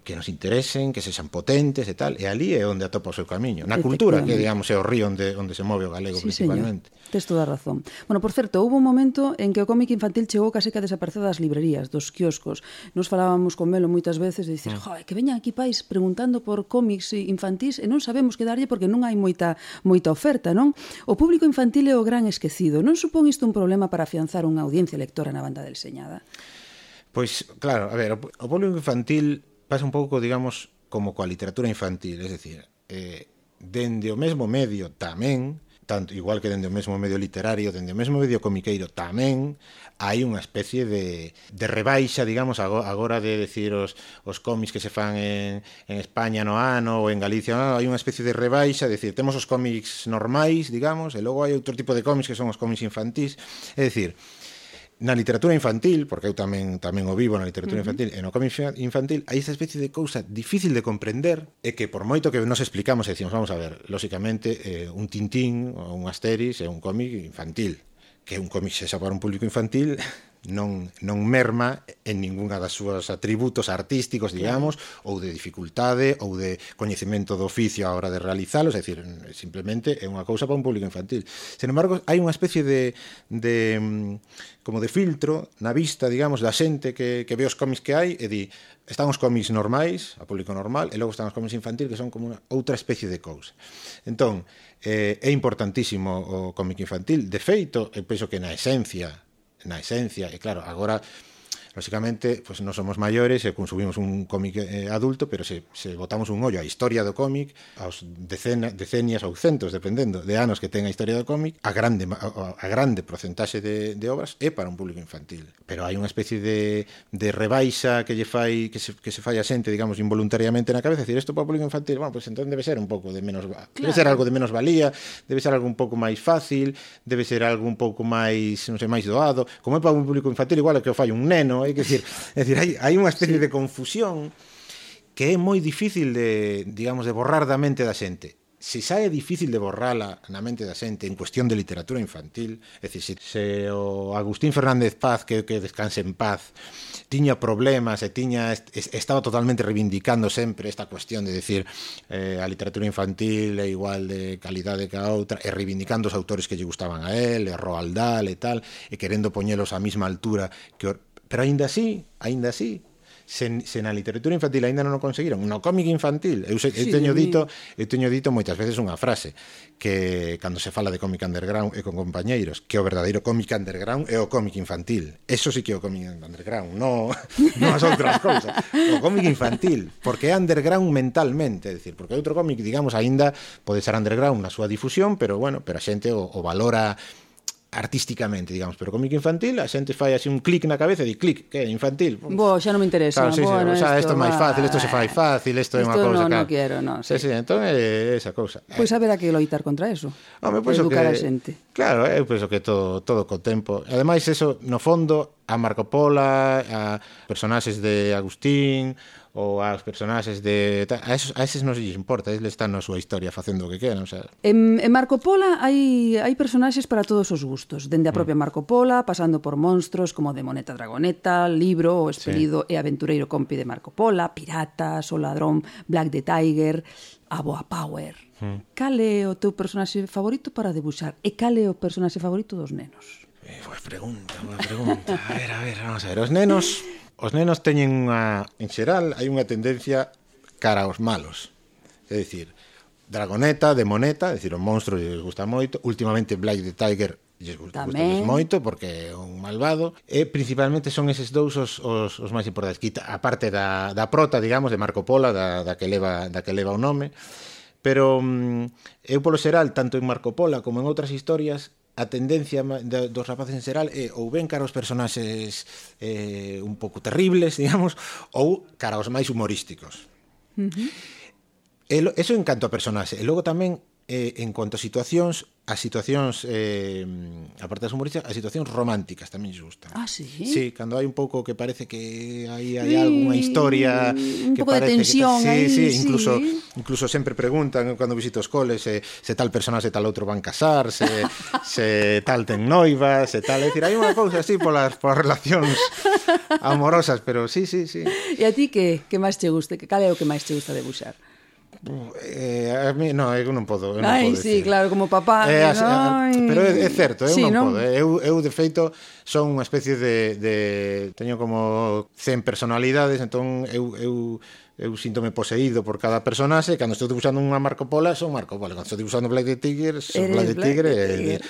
que nos interesen, que sexan potentes e tal, e ali é onde atopa o seu camiño. Na cultura, que, digamos, é o río onde se move o galego, principalmente. Señor. Tes toda a razón. Bueno, por certo, houve un momento en que o cómic infantil chegou case que a desaparecer das librerías, dos quioscos. Nos falábamos con Melo moitas veces de dicir, que veñan aquí pais preguntando por cómics infantís e non sabemos que darlle porque non hai moita oferta, non? O público infantil é o gran esquecido. Non supón isto un problema para afianzar unha audiencia lectora na banda deseñada? Pois, claro, a ver, o público infantil pasa un pouco, digamos, como coa literatura infantil, es decir, dende o mesmo medio tamén, tanto igual que dende o mesmo medio literario, dende o mesmo medio comiqueiro tamén, hai unha especie de rebaixa, digamos, agora de decir os cómics que se fan en España no ano ou en Galicia no ano, hai unha especie de rebaixa, é dicir, temos os cómics normais, digamos, e logo hai outro tipo de cómics que son os cómics infantís, é dicir, na literatura infantil, porque eu tamén o vivo na literatura infantil, e no cómic infantil hai esa especie de cousa difícil de comprender e que por moito que nos explicamos e decimos, vamos a ver, lóxicamente un Tintín ou un Asterix é un cómic infantil, que un cómic sexa para un público infantil non merma en ninguna das súas atributos artísticos, digamos, ou de dificultade, ou de coñecemento do oficio a hora de realizalos, é dicir, simplemente é unha cousa para un público infantil. Sen embargo, hai unha especie de como de filtro na vista, digamos, da xente que ve os cómics que hai e di, están os cómics normais, a público normal, e logo están os cómics infantil, que son como outra especie de cousa. Entón, é importantísimo o cómic infantil. De feito, eu penso que na esencia, e claro, agora lógicamente, pues non somos maiores e consumimos un cómic adulto, pero se botamos un ollo á historia do cómic, aos decenias ou centos, dependendo de anos que ten a historia do cómic, a grande porcentaxe de obras é para un público infantil. Pero hai unha especie de rebaixa que se fai a xente, digamos, involuntariamente na cabeza, decir, isto para o público infantil, bueno, pues entón debe ser un pouco de menos, debe ser algo de menos valía, debe ser algo un pouco máis fácil, debe ser algo un pouco máis, non sei, máis doado, como é para un público infantil, igual é que o fai un neno, é dicir, hai unha especie de confusión que é moi difícil de, digamos, de borrar da mente da xente. Se xa é difícil de borrala na mente da xente en cuestión de literatura infantil, é dicir, se o Agustín Fernández Paz, que descanse en paz, tiña problemas e estaba totalmente reivindicando sempre esta cuestión de decir a literatura infantil é igual de calidade que a outra, e reivindicando os autores que lle gustaban a él, e Roald Dahl e tal, e querendo poñelos á mesma altura que pero aínda así, se na literatura infantil aínda non o conseguiron, no cómic infantil, eu teño dito moitas veces unha frase, que cando se fala de cómic underground e con compañeiros, que o verdadeiro cómic underground é o cómic infantil. Eso sí que é o cómic underground, non as outras cousas. O cómic infantil, porque é underground mentalmente, é dicir, porque outro cómic, digamos, aínda pode ser underground na súa difusión, pero bueno, pero a xente o valora artísticamente, digamos, pero cómic infantil a xente fai así un clic na cabeza e di, clic, que é infantil. Xa non me interesa. Claro, bueno, isto é máis fácil, isto se fai fácil, isto é unha cousa non quero, non. Sí, entón é esa cousa. Pois haberá que loitar contra eso. Educar a xente. Claro, eu penso que todo co tempo. Ademais, eso, no fondo, a Marco Pola, a personaxes de Agustín, ou aos personaxes de... A eses non se lles importa, eles están na súa historia facendo o que queran, o sea... En Marco Pola hai personaxes para todos os gustos, dende a propia Marco Pola, pasando por monstros como Demoneta Dragoneta, Libro, o Espelido e Aventureiro Compi de Marco Pola, Piratas, o Ladrón, Black the Tiger, a Boa Power. Cal é o teu personaxe favorito para debuxar? E cal é o personaxe favorito dos nenos? Boa pregunta. A ver, vamos a ver. Os nenos teñen en xeral, hai unha tendencia cara aos malos. É dicir, Dragoneta, Demoneta, é dicir, os monstros lles gusta moito. Últimamente Black the Tiger lles gusta moito porque é un malvado. E principalmente son eses dous os máis importantes. A parte da prota, digamos, de Marco Pola, da que leva o nome. Pero eu polo xeral, tanto en Marco Pola como en outras historias, a tendencia dos rapaces en xeral é ou ben cara aos personaxes un pouco terribles, digamos, ou cara aos máis humorísticos. Eso en canto a personaxe. E logo tamén, en cuanto a situacións, aparte das humorísticas, as situacións románticas tamén lles gustan. Ah, sí? Sí, cando hai un pouco que parece que hai algunha historia un que pouco de tensión aí, incluso sempre preguntan cando visito os coles se tal personaxe e tal outro van casar, se tal ten noivas, se tal, é dicir, hai unha cousa así polas relacións amorosas, pero sí. E a ti que máis te guste? Cal é o que máis te gusta debuxar? A mí, non, eu non podo. Sí, claro, como papá. Pero é certo, eu non podo. Eu, de feito, son unha especie de teño como 100 personalidades, entón eu síntome poseído por cada personaxe. Cando estou dibuixando unha Marco Pola, son Marco Pola. Cando estou dibuixando Black the Tiger, son Black the Tiger,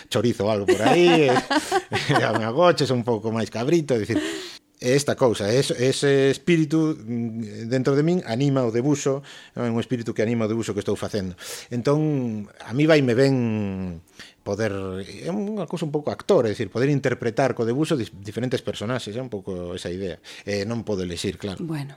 chorizo algo por aí, me agoche, son un pouco máis cabrito, é dicir, esta cousa, ese espírito dentro de min anima o debuxo, é un espírito que anima o debuxo que estou facendo. Entón, a mí vaime ben poder, é unha cousa un pouco actor, é dicir, poder interpretar co debuxo diferentes personaxes, é un pouco esa idea. Non podo elexir, claro. Bueno.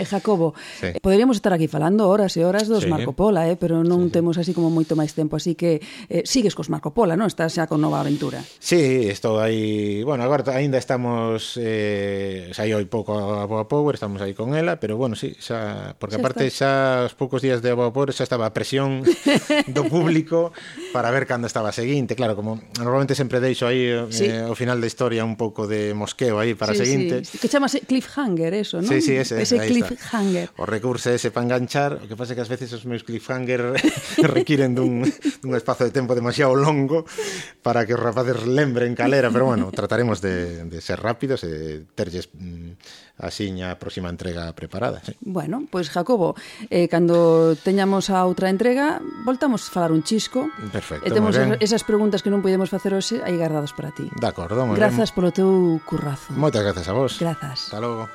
Jacobo, poderíamos estar aquí falando horas e horas dos Marco Pola, pero non temos así como moito máis tempo, así que sigues cos Marco Pola, non? Estás xa con nova aventura. Sí, estou aí, bueno, agora ainda estamos saí hoi pouco a Boa Power, estamos aí con ela, pero bueno, sí, xa, porque aparte xa os poucos días de Boa Power xa estaba a presión do público para ver cando estaba a seguinte. Claro, como normalmente sempre deixo aí Sí. ao final da historia un pouco de mosqueo aí para a seguinte. Sí. Que chamase cliffhanger, eso, non? Sí, ese aí cliffhanger. está. O recurso ese para enganchar, o que pasa é que ás veces os meus cliffhanger requiren dun espazo de tempo demasiado longo para que os rapaces lembren calera, pero bueno, trataremos de ser rápidos e terlles asiña a próxima entrega preparada. Sí. Bueno, pois Jacobo, cando teñamos a outra entrega, voltamos a falar un chisco. Perfecto, E temos moi ben. esas preguntas que non podemos facer hoxe aí guardadas para ti. De acordo, moi ben. Grazas polo teu currazo. Moitas grazas a vos. Grazas. Hasta logo.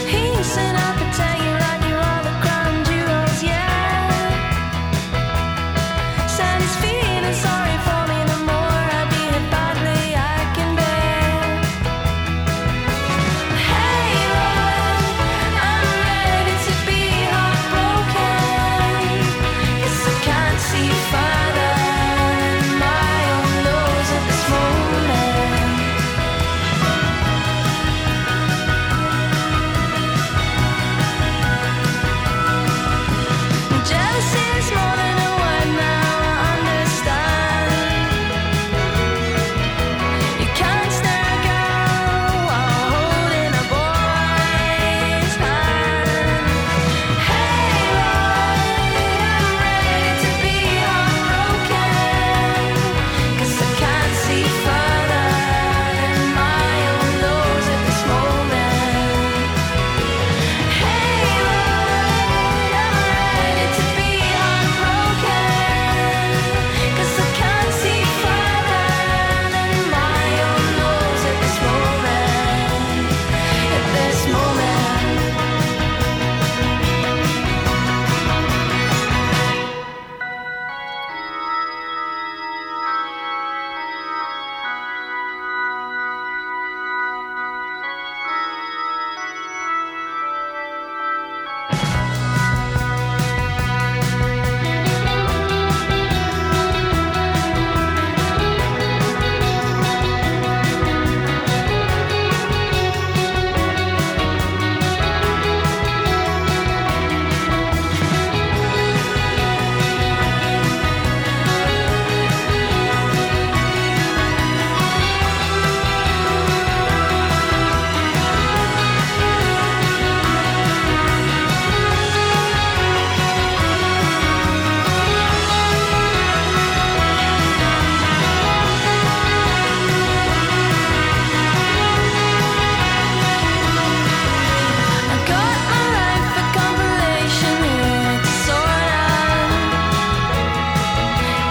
He said I could tell you like you're all the crown jewels, yeah. Said he's feeling sorry for me the more I behave badly I can bear. Hey Lord, I'm ready to be heartbroken, 'cause I can't see further than my own nose at this moment. Jealousy is more than a word now, I understand. You can't stare a girl while holding a boy's hand. Hey Lord, I'm ready to be heartbroken, 'cause I can't see further than my own nose at this moment. Hey Lord, I'm ready to be heartbroken, 'cause I can't see further than my own nose at this moment. At this moment. I've got my life for compilation here to sort out.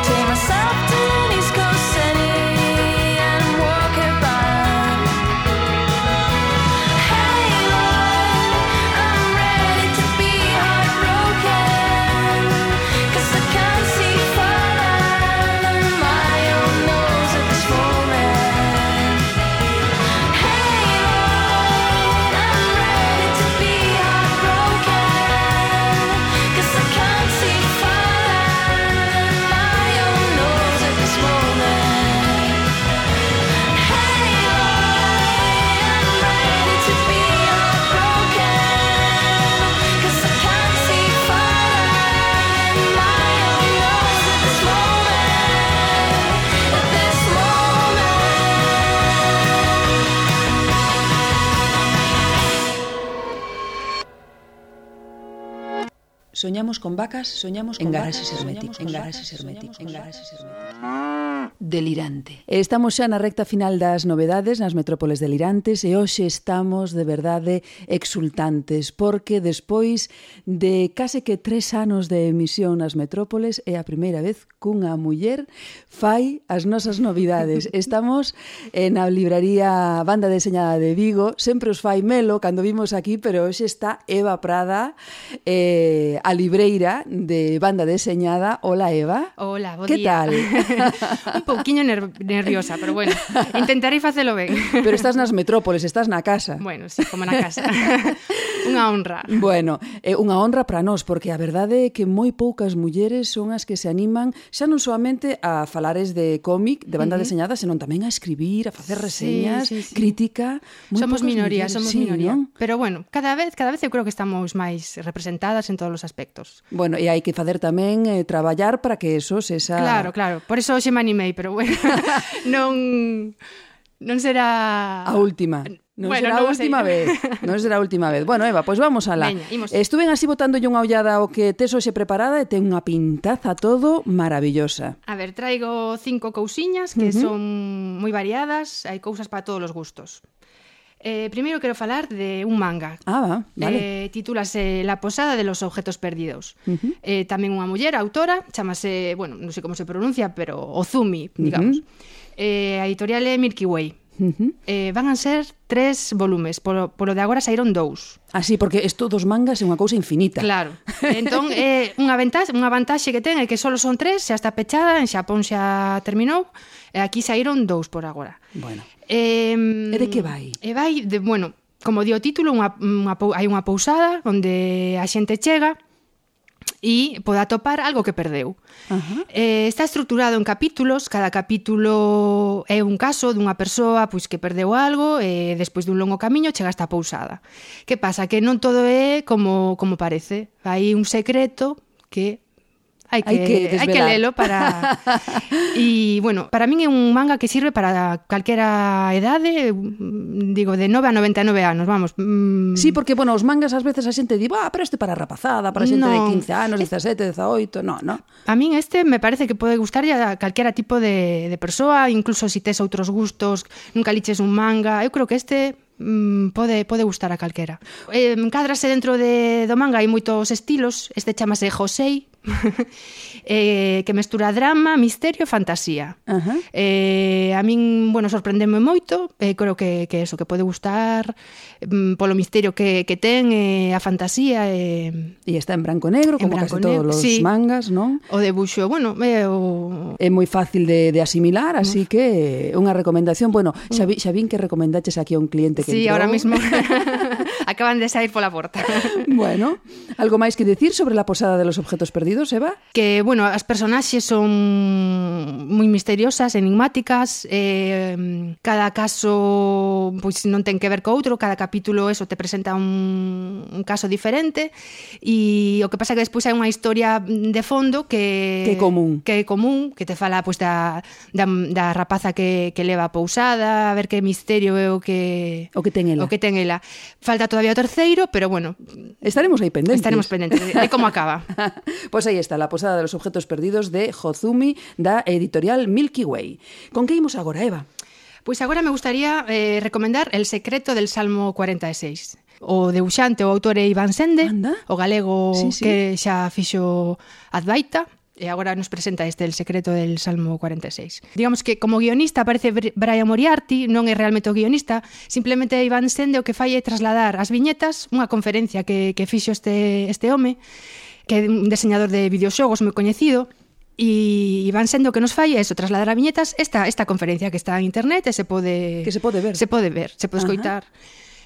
Take myself to an East Coast city and walk about. Hey Lord, I'm ready to be heartbroken, 'cause I can't see further than my own nose at this moment. Hey Lord, I'm ready to be heartbroken, 'cause I can't see further than my own nose at this moment. Hey Lord, I'm ready to be heartbroken, 'cause I can't see further than my own nose at this moment. At this moment. Soñamos con vacas, soñamos con garaxes herméticos, en garaxes herméticos, en garaxes herméticos. Delirante. Estamos xa na recta final das novedades nas metrópoles delirantes e hoxe estamos de verdade exultantes porque despois de case que 3 anos de emisión nas metrópoles é a primeira vez cunha muller fai as nosas novidades. Estamos na libraría Banda Deseñada de Vigo, sempre os fai Melo cando vimos aquí, pero hoxe está Eva Prada, a libreira de Banda Deseñada. Hola, Eva. Hola, bo que día. tal? Un pouquiño nerviosa, pero bueno, intentarei facelo ben. Pero estás nas metrópoles, estás na casa. Bueno, sí, como na casa. Unha honra. Bueno, é unha honra para nós, porque a verdade é que moi poucas mulleres son as que se animan xa non solamente a falares de cómic, de banda deseñada, senón tamén a escribir, a facer reseñas, Sí. crítica. Moi Somos poucas minoría, mulleres. somos Sí, minoría. non? Pero bueno, cada vez eu creo que estamos máis representadas en todos os aspectos. Bueno, e hai que facer tamén traballar para que eso se xa... Claro. Por eso hoxe me animei, pero bueno, non será... A última. Non Bueno, será a non o sei. última vez. Non será a última vez. Bueno, Eva, pois vamos alá. Veña, imos. Estuven así botándolle unha ollada ao que tes hoxe preparada e ten unha pintaza todo maravillosa. A ver, traigo 5 cousiñas que son moi variadas, hai cousas para todos os gustos. Primeiro quero falar de un manga. Ah, vale. Titúlase La posada de los objetos perdidos. Tamén unha muller, autora, chamase, bueno, non sei como se pronuncia, pero Ozumi, digamos. A editorial é Milky Way. Van a ser 3 volumes, polo de agora saíron 2. Así, porque isto dos mangas é unha cousa infinita. Claro. Entón, unha vantaxe que ten é que só son 3, xa está pechada, en Xapón xa terminou, e aquí saíron 2 por agora. Bueno. E de que vai? Vai de, bueno, como di o título, hai unha pousada onde a xente chega e pode atopar algo que perdeu. Está estruturado en capítulos, cada capítulo é un caso dunha persoa pois, que perdeu algo e despois dun longo camiño chega a esta pousada. Que pasa? Que non todo é como parece. Hai un secreto que hai que lelo para... E, bueno, para min é un manga que sirve para calquera edade, digo, de 9 a 99 anos, vamos. Sí, porque, bueno, os mangas ás veces a xente di, pero este para rapazada, para xente de 15 anos, 17, 18, no. A min este me parece que pode gustar a calquera tipo de persoa, incluso se tes outros gustos, nunca liches un manga, eu creo que este pode gustar a calquera. Encádrase dentro do manga, hai moitos estilos, este chamase Josei, que mestura drama, misterio e fantasía. A min, bueno, sorprendeme moito, creo que eso, que pode gustar polo misterio que ten, a fantasía e está en branco e negro, como casi todos os mangas, non? O debuxo, bueno, é moi fácil de asimilar, así que unha recomendación, bueno, xa vin que recomendaches aquí a un cliente que sí, entrou. Ahora mismo acaban de sair pola porta. Bueno, algo máis que decir sobre la posada de los objetos perdidos, Eva? Que, bueno, as personaxes son moi misteriosas, enigmáticas, cada caso pois non ten que ver co outro, cada capítulo eso te presenta un caso diferente e o que pasa é que despois hai unha historia de fondo que é común, que te fala pois da rapaza que leva a pousada, a ver que misterio é o que ten ela. Falta todavía o terceiro, pero bueno, estaremos aí pendentes. De como acaba. Pois aí está, La posada de los objetos perdidos de Ozumi, da editorial Milky Way. Con que imos agora, Eva? Pois agora me gustaría recomendar El secreto del Salmo 46. O debuxante, o autor é Iván Sende, o galego que xa fixo Advaita, e agora nos presenta El secreto del Salmo 46. Digamos que como guionista aparece Brian Moriarty, non é realmente o guionista, simplemente Iván Sende o que fai é trasladar as viñetas, unha conferencia que fixo este home, que é un diseñador de videoxogos moi coñecido, e Iván Sende o que nos fai é eso, trasladar a viñetas esta conferencia que está en internet e se pode ver, se pode escoitar.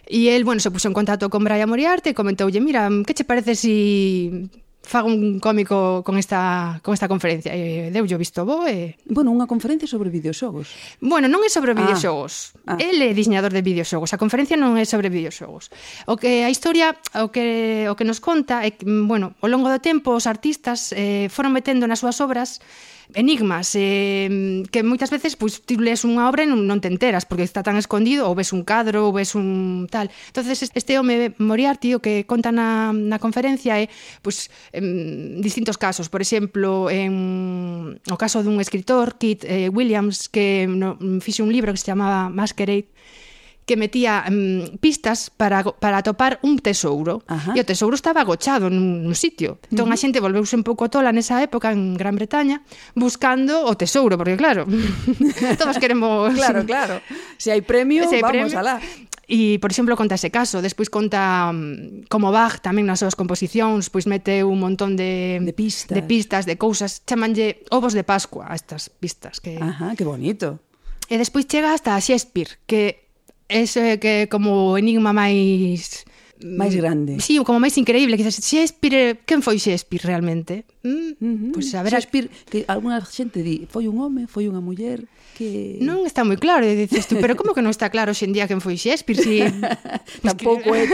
E el, bueno, se puxo en contacto con Brian Moriarty e comentoulle, mira, que che parece si fago un cómico con esta conferencia? E deu yo visto bo e... Bueno, unha conferencia sobre videoxogos. Bueno, non é sobre videoxogos. El é diseñador de videoxogos. A conferencia non é sobre videoxogos. A historia, o que nos conta é que, bueno, ao longo do tempo os artistas foron metendo nas súas obras enigmas que moitas veces pois ti lees unha obra e non te enteras porque está tan escondido, ou ves un cadro ou ves un tal. Entonces este home Moriarty o que conta na conferencia é pois distintos casos, por exemplo o caso dun escritor, Keith Williams, que fixe un libro que se chamaba Masquerade, que metía pistas para atopar un tesouro. E o tesouro estaba agochado nun sitio. Entón a xente volveuse un pouco tola nesa época en Gran Bretaña buscando o tesouro, porque claro, todos queremos... Claro. Se hai premio, vamos alá. E, por exemplo, conta ese caso. Despois conta como Bach tamén nas súas composicións pois mete un montón de pistas, de cousas. Chamanlle ovos de Pascua a estas pistas. Que bonito. E despois chega hasta a Shakespeare, que ese que como enigma máis máis grande. Sí, como máis increíble, que dices, Shakespeare, quen foi Shakespeare realmente? Pois a ver, Shakespeare, que alguna xente di, foi un home, foi unha muller, que... non está moi claro, e dices tú, pero como que non está claro hoxe en día quen foi Shakespeare? Si... tampouco é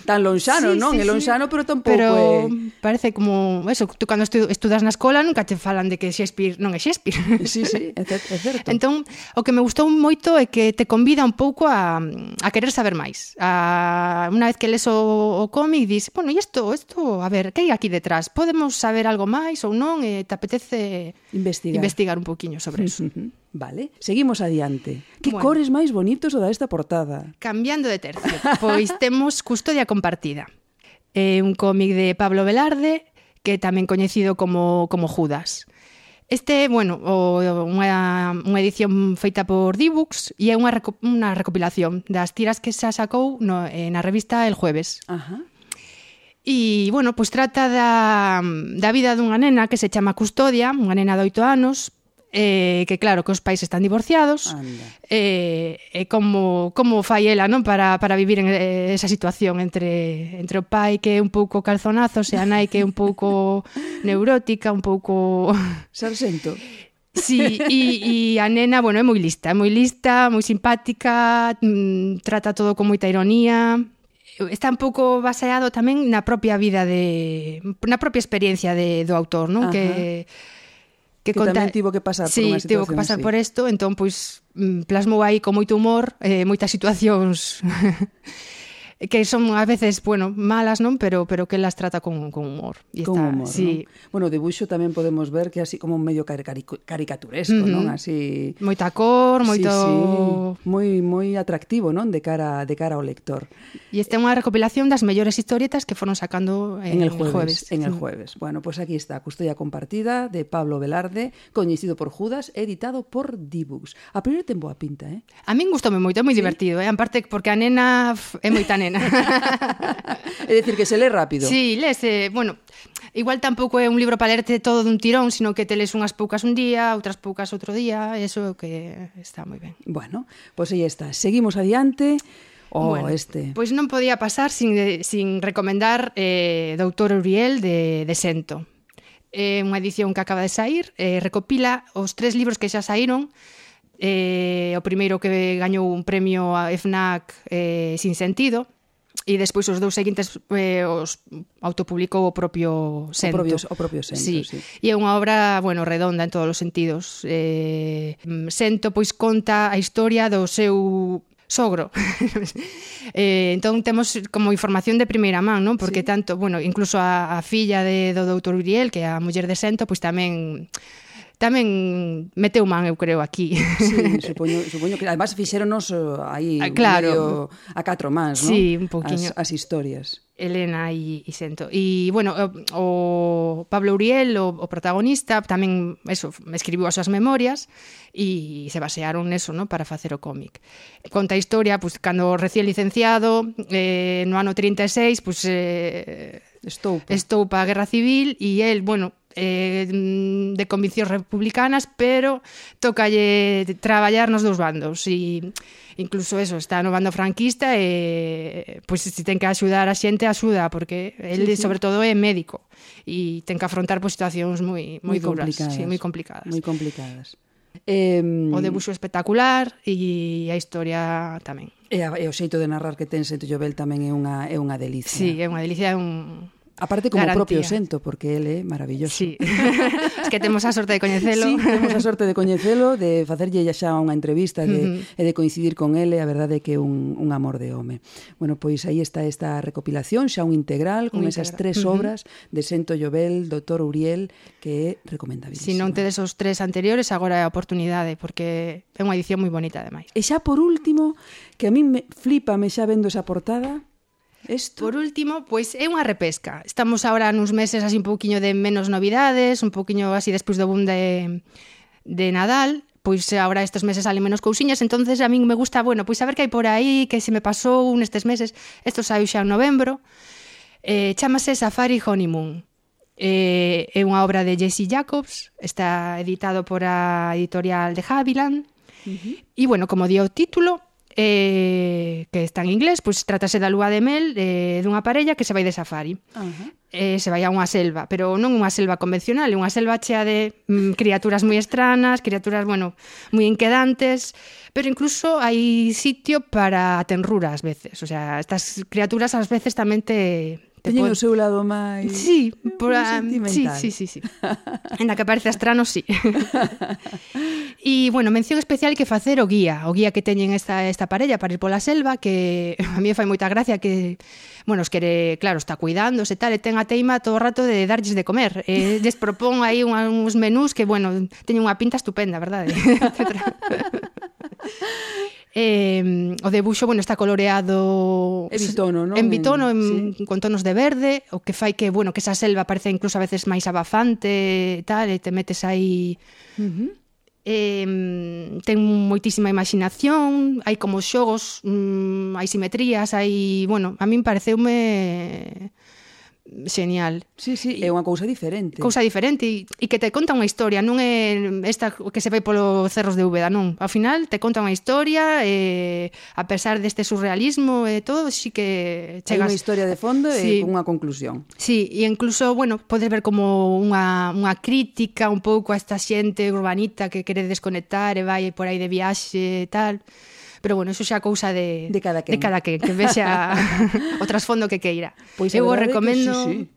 tan lonxano, non? É lonxano, pero tampouco é... parece como, eso, tú cando estudas na escola nunca te falan de que Shakespeare non é Shakespeare. Sí, é certo. Entón, o que me gustou moito é que te convida un pouco a querer saber máis. Unha vez que lees o cómic, dis, bueno, e isto, a ver, que hai aquí detrás? Podemos saber algo máis ou non? E te apetece investigar un poquinho sobre eso. Vale, seguimos adiante. Que Bueno. cores máis bonitos o da esta portada. Cambiando de tercio, pois temos Custodia compartida. Un cómic de Pablo Velarde, que é tamén coñecido como Judas. Este, bueno, unha edición feita por D-Books e é unha recopilación das tiras que xa sacou na revista El Jueves. Ajá. E, bueno, pois trata da vida dunha nena que se chama Custodia, unha nena de 8 anos, que claro, que os pais están divorciados, e como fai ela, non, para vivir en esa situación entre o pai que é un pouco calzonazos e a nai que é un pouco neurótica, un pouco... Sarxento. Sí, e a nena, bueno, é moi lista, moi simpática, trata todo con moita ironía. Está un pouco baseado tamén na propia vida na propia experiencia do autor, non? Que tamén tivo que pasar por unha situación. Sí, tivo que pasar por isto, entón, pois, plasmou aí con moito humor moitas situacións que son a veces, bueno, malas, non? Pero que las trata con humor. E con humor, sí. Non? Bueno, o debuxo tamén podemos ver que así como medio caricaturesco, non? Así... Moita cor, moito... Sí. Moi atractivo, non? De cara ao lector. E esta é unha recopilación das mellores historietas que foron sacando en el jueves. En el jueves. Bueno, pues aquí está, Custodia compartida, de Pablo Velarde, coñecido por Judas, editado por D-Books. A primeiro ten boa pinta, eh? A min gustoume moito, é moi divertido, en parte porque a nena é moita nena. É dicir, que se lee rápido. Sí, lese, bueno, igual tampouco é un libro para lerte todo dun tirón, sino que te lees unhas poucas un día, outras poucas outro día, eso que está moi ben. Bueno, pois aí está. Seguimos adiante. Bueno, pois non podía pasar sin recomendar Doutor Uriel de Sento. É unha edición que acaba de sair, recopila os 3 libros que xa saíron. O primeiro que gañou un premio a FNAC Sin Sentido, e despois os 2 seguintes os autopublicou o propio Sento. O propio Sento, sí. E é unha obra, bueno, redonda en todos os sentidos. Sento, pois, conta a historia do seu sogro. Entón temos como información de primeira man, non? Porque tanto, bueno, incluso a filla do doutor Uriel, que é a muller de Sento, pois tamén meteu man, eu creo, aquí. Sí, supoño que además fixéronos aí claro, a 4 mans, non? Sí, un poquinho. As historias. Elena e Sento. E, bueno, o Pablo Uriel, o protagonista, tamén, eso, escribiu as súas memorias e se basearon neso, ¿no?, para facer o cómic. Conta a historia, pues, cando recién licenciado, no ano 36, pues, estoupa a Guerra Civil e el, bueno, de conviccións republicanas, pero tócalle traballar nos dous bandos e incluso eso, está no bando franquista e pois se ten que axudar a xente, axuda, porque el sobre todo é médico e ten que afrontar pois situacións moi duras, moi complicadas. O debuxo espectacular e a historia tamén. E o xeito de narrar que ten Sento Llobel tamén é unha delicia. Sí, é unha delicia, aparte como garantía. Propio Sento, porque ele é maravilloso. Sí. Es que temos a sorte de coñecelo. Sí, temos a sorte de coñecelo, de facerlle xa unha entrevista e de coincidir con ele, a verdade é que é un amor de home. Bueno, pois aí está esta recopilación, xa un integral, con esas 3 obras de Sento Llobel, Doutor Uriel, que é recomendabilísimo. Si non tedes os 3 anteriores, agora é a oportunidade, porque é unha edición moi bonita, ademais. E xa por último, que a mí flipame xa vendo esa portada, Por último, pois é unha repesca. Estamos agora nuns meses así un pouquiño de menos novidades, un pouquiño así despois do boom de Nadal, pois agora estes meses salen menos cousiñas, entonces a min me gusta, bueno, pois saber que hai por aí, que se me pasou nestes meses. Isto saiu xa en novembro. Chámase Safari Honeymoon. É unha obra de Jesse Jacobs, está editado por a editorial de Haviland. E, bueno, como di o título, que está en inglés, pois trátase da lúa de mel dunha parella que se vai de safari. Se vai a unha selva, pero non unha selva convencional, é unha selva chea de criaturas moi estranas, criaturas, bueno, moi inquedantes, pero incluso hai sitio para a tenrura ás veces. O sea, estas criaturas ás veces tamén teñen o seu lado máis sí, sentimental. Sí. En la que parece estrano, sí. E, bueno, mención especial que facer o guía que teñen esta parella para ir pola selva, que a mí fai moita gracia que, bueno, os quere, claro, está cuidándose e tal, e ten a teima todo o rato de darlles de comer. Les propón aí uns menús que, bueno, teñen unha pinta estupenda, verdade? O debuxo, bueno, está coloreado en bitono, non? En bitono, sí. Con tonos de verde, o que fai que, bueno, que esa selva parece incluso a veces máis abafante e tal, e te metes aí. Ten moitísima imaginación, hai como xogos, hai simetrías, hai, bueno, a min pareceume genial. Sí, é unha cousa diferente. E que te conta unha historia, non é esta que se vai polos cerros de Úbeda, non. Ao final te conta unha historia, a pesar deste surrealismo e todo, sí que chegas... Hai unha historia de fondo e unha conclusión. Sí, e incluso, bueno, podes ver como unha crítica un pouco a esta xente urbanita que quere desconectar e vai por aí de viaxe e tal. Pero bueno, eso xa cousa de cada quen, que vexa o trasfondo que queira. Pois eu o recomendo sí.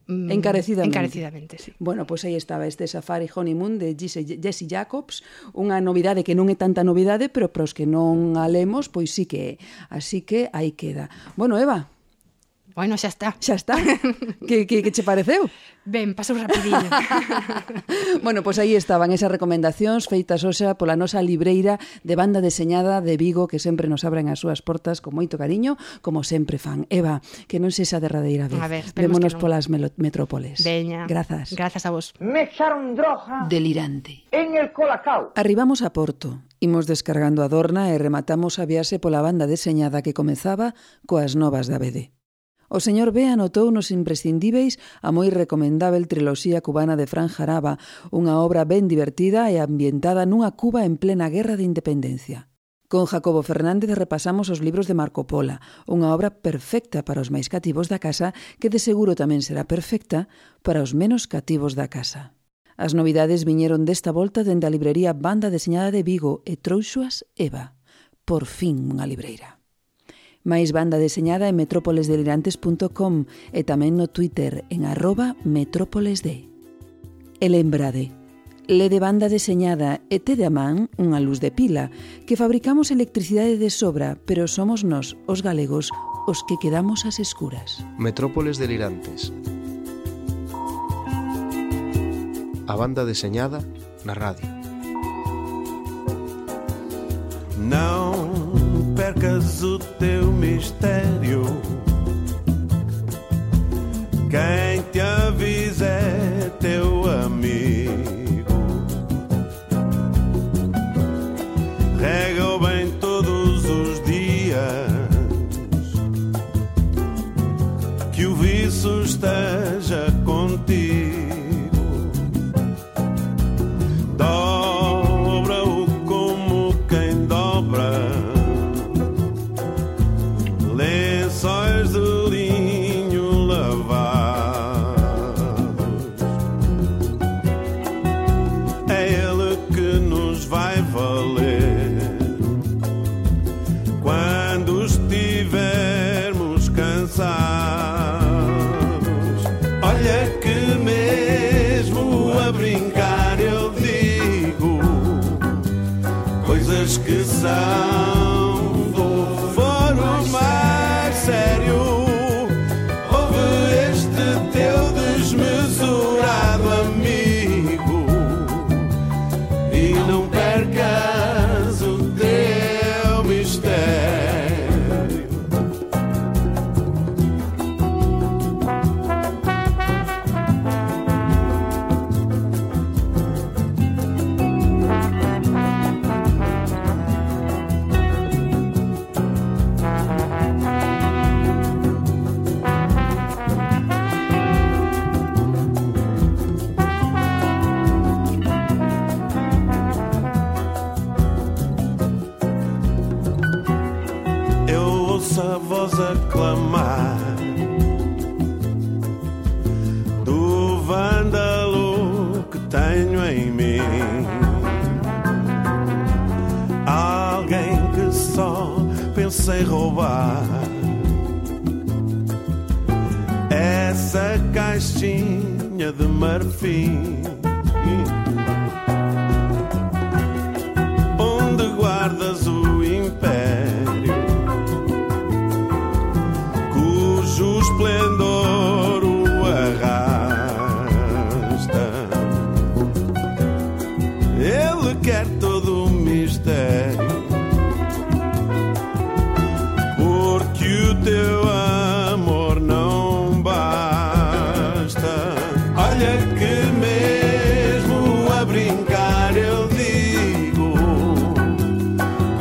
Encarecidamente, sí. Bueno, pois aí estaba este Safari Honeymoon de Jessie Jacobs, unha novidade que non é tanta novidade, pero para os que non a lemos, pois sí que é. Así que aí queda. Bueno, Eva, bueno, xa está. Que che pareceu? Ben, pasou rapidinho. Bueno, pois aí estaban esas recomendacións feitas hoxa pola nosa libreira de banda deseñada de Vigo, que sempre nos abren as súas portas con moito cariño, como sempre fan. Eva, que non sexa derradeira vez. A ver, vémonos polas metrópoles. Veña. Grazas a vos. Me echaron droga delirante en el Colacao. Arribamos a Porto, imos descargando a Dorna e rematamos a viaxe pola banda deseñada que comezaba coas novas da BD. O señor B anotou nos imprescindíveis a moi recomendável triloxía cubana de Fran Jaraba, unha obra ben divertida e ambientada nunha Cuba en plena guerra de independencia. Con Jacobo Fernández repasamos os libros de Marco Pola, unha obra perfecta para os máis cativos da casa que de seguro tamén será perfecta para os menos cativos da casa. As novidades viñeron desta volta dende a librería Banda Deseñada de Vigo e trouxoas Eva. Por fin unha libreira. máis banda deseñada en metrópolesdelirantes.com e tamén no Twitter en @metrópolesd. E lembrade, lede banda deseñada e tede a man unha luz de pila, que fabricamos electricidade de sobra, pero somos nós, os galegos, os que quedamos ás escuras. Metrópoles Delirantes. A banda deseñada na radio. Não percas o teu mistério. Quem te avisa é teu amigo. Rega-o bem todos os dias, que o vício esteja contigo. Dobra-o como quem dobra lençóis de linho lavados. em mim. Alguém que só pensa em roubar essa caixinha de marfim onde guardas o império cujo esplendor o arrasta. Ele quer todo o mistério porque o teu amor não basta. Olha que mesmo a brincar eu digo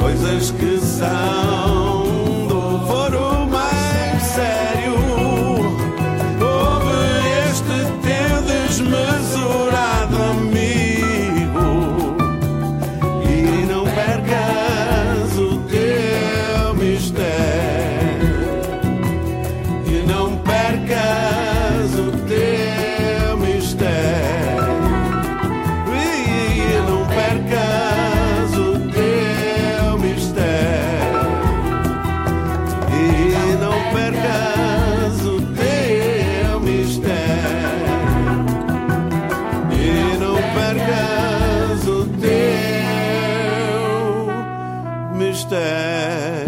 coisas que são do foro mais sério. Ouve este teu desmesurado amigo e não percas o teu mistério. E não percas o teu mistério. E não percas o teu mistério. E não percas o teu mistério. E não percas o teu mistério.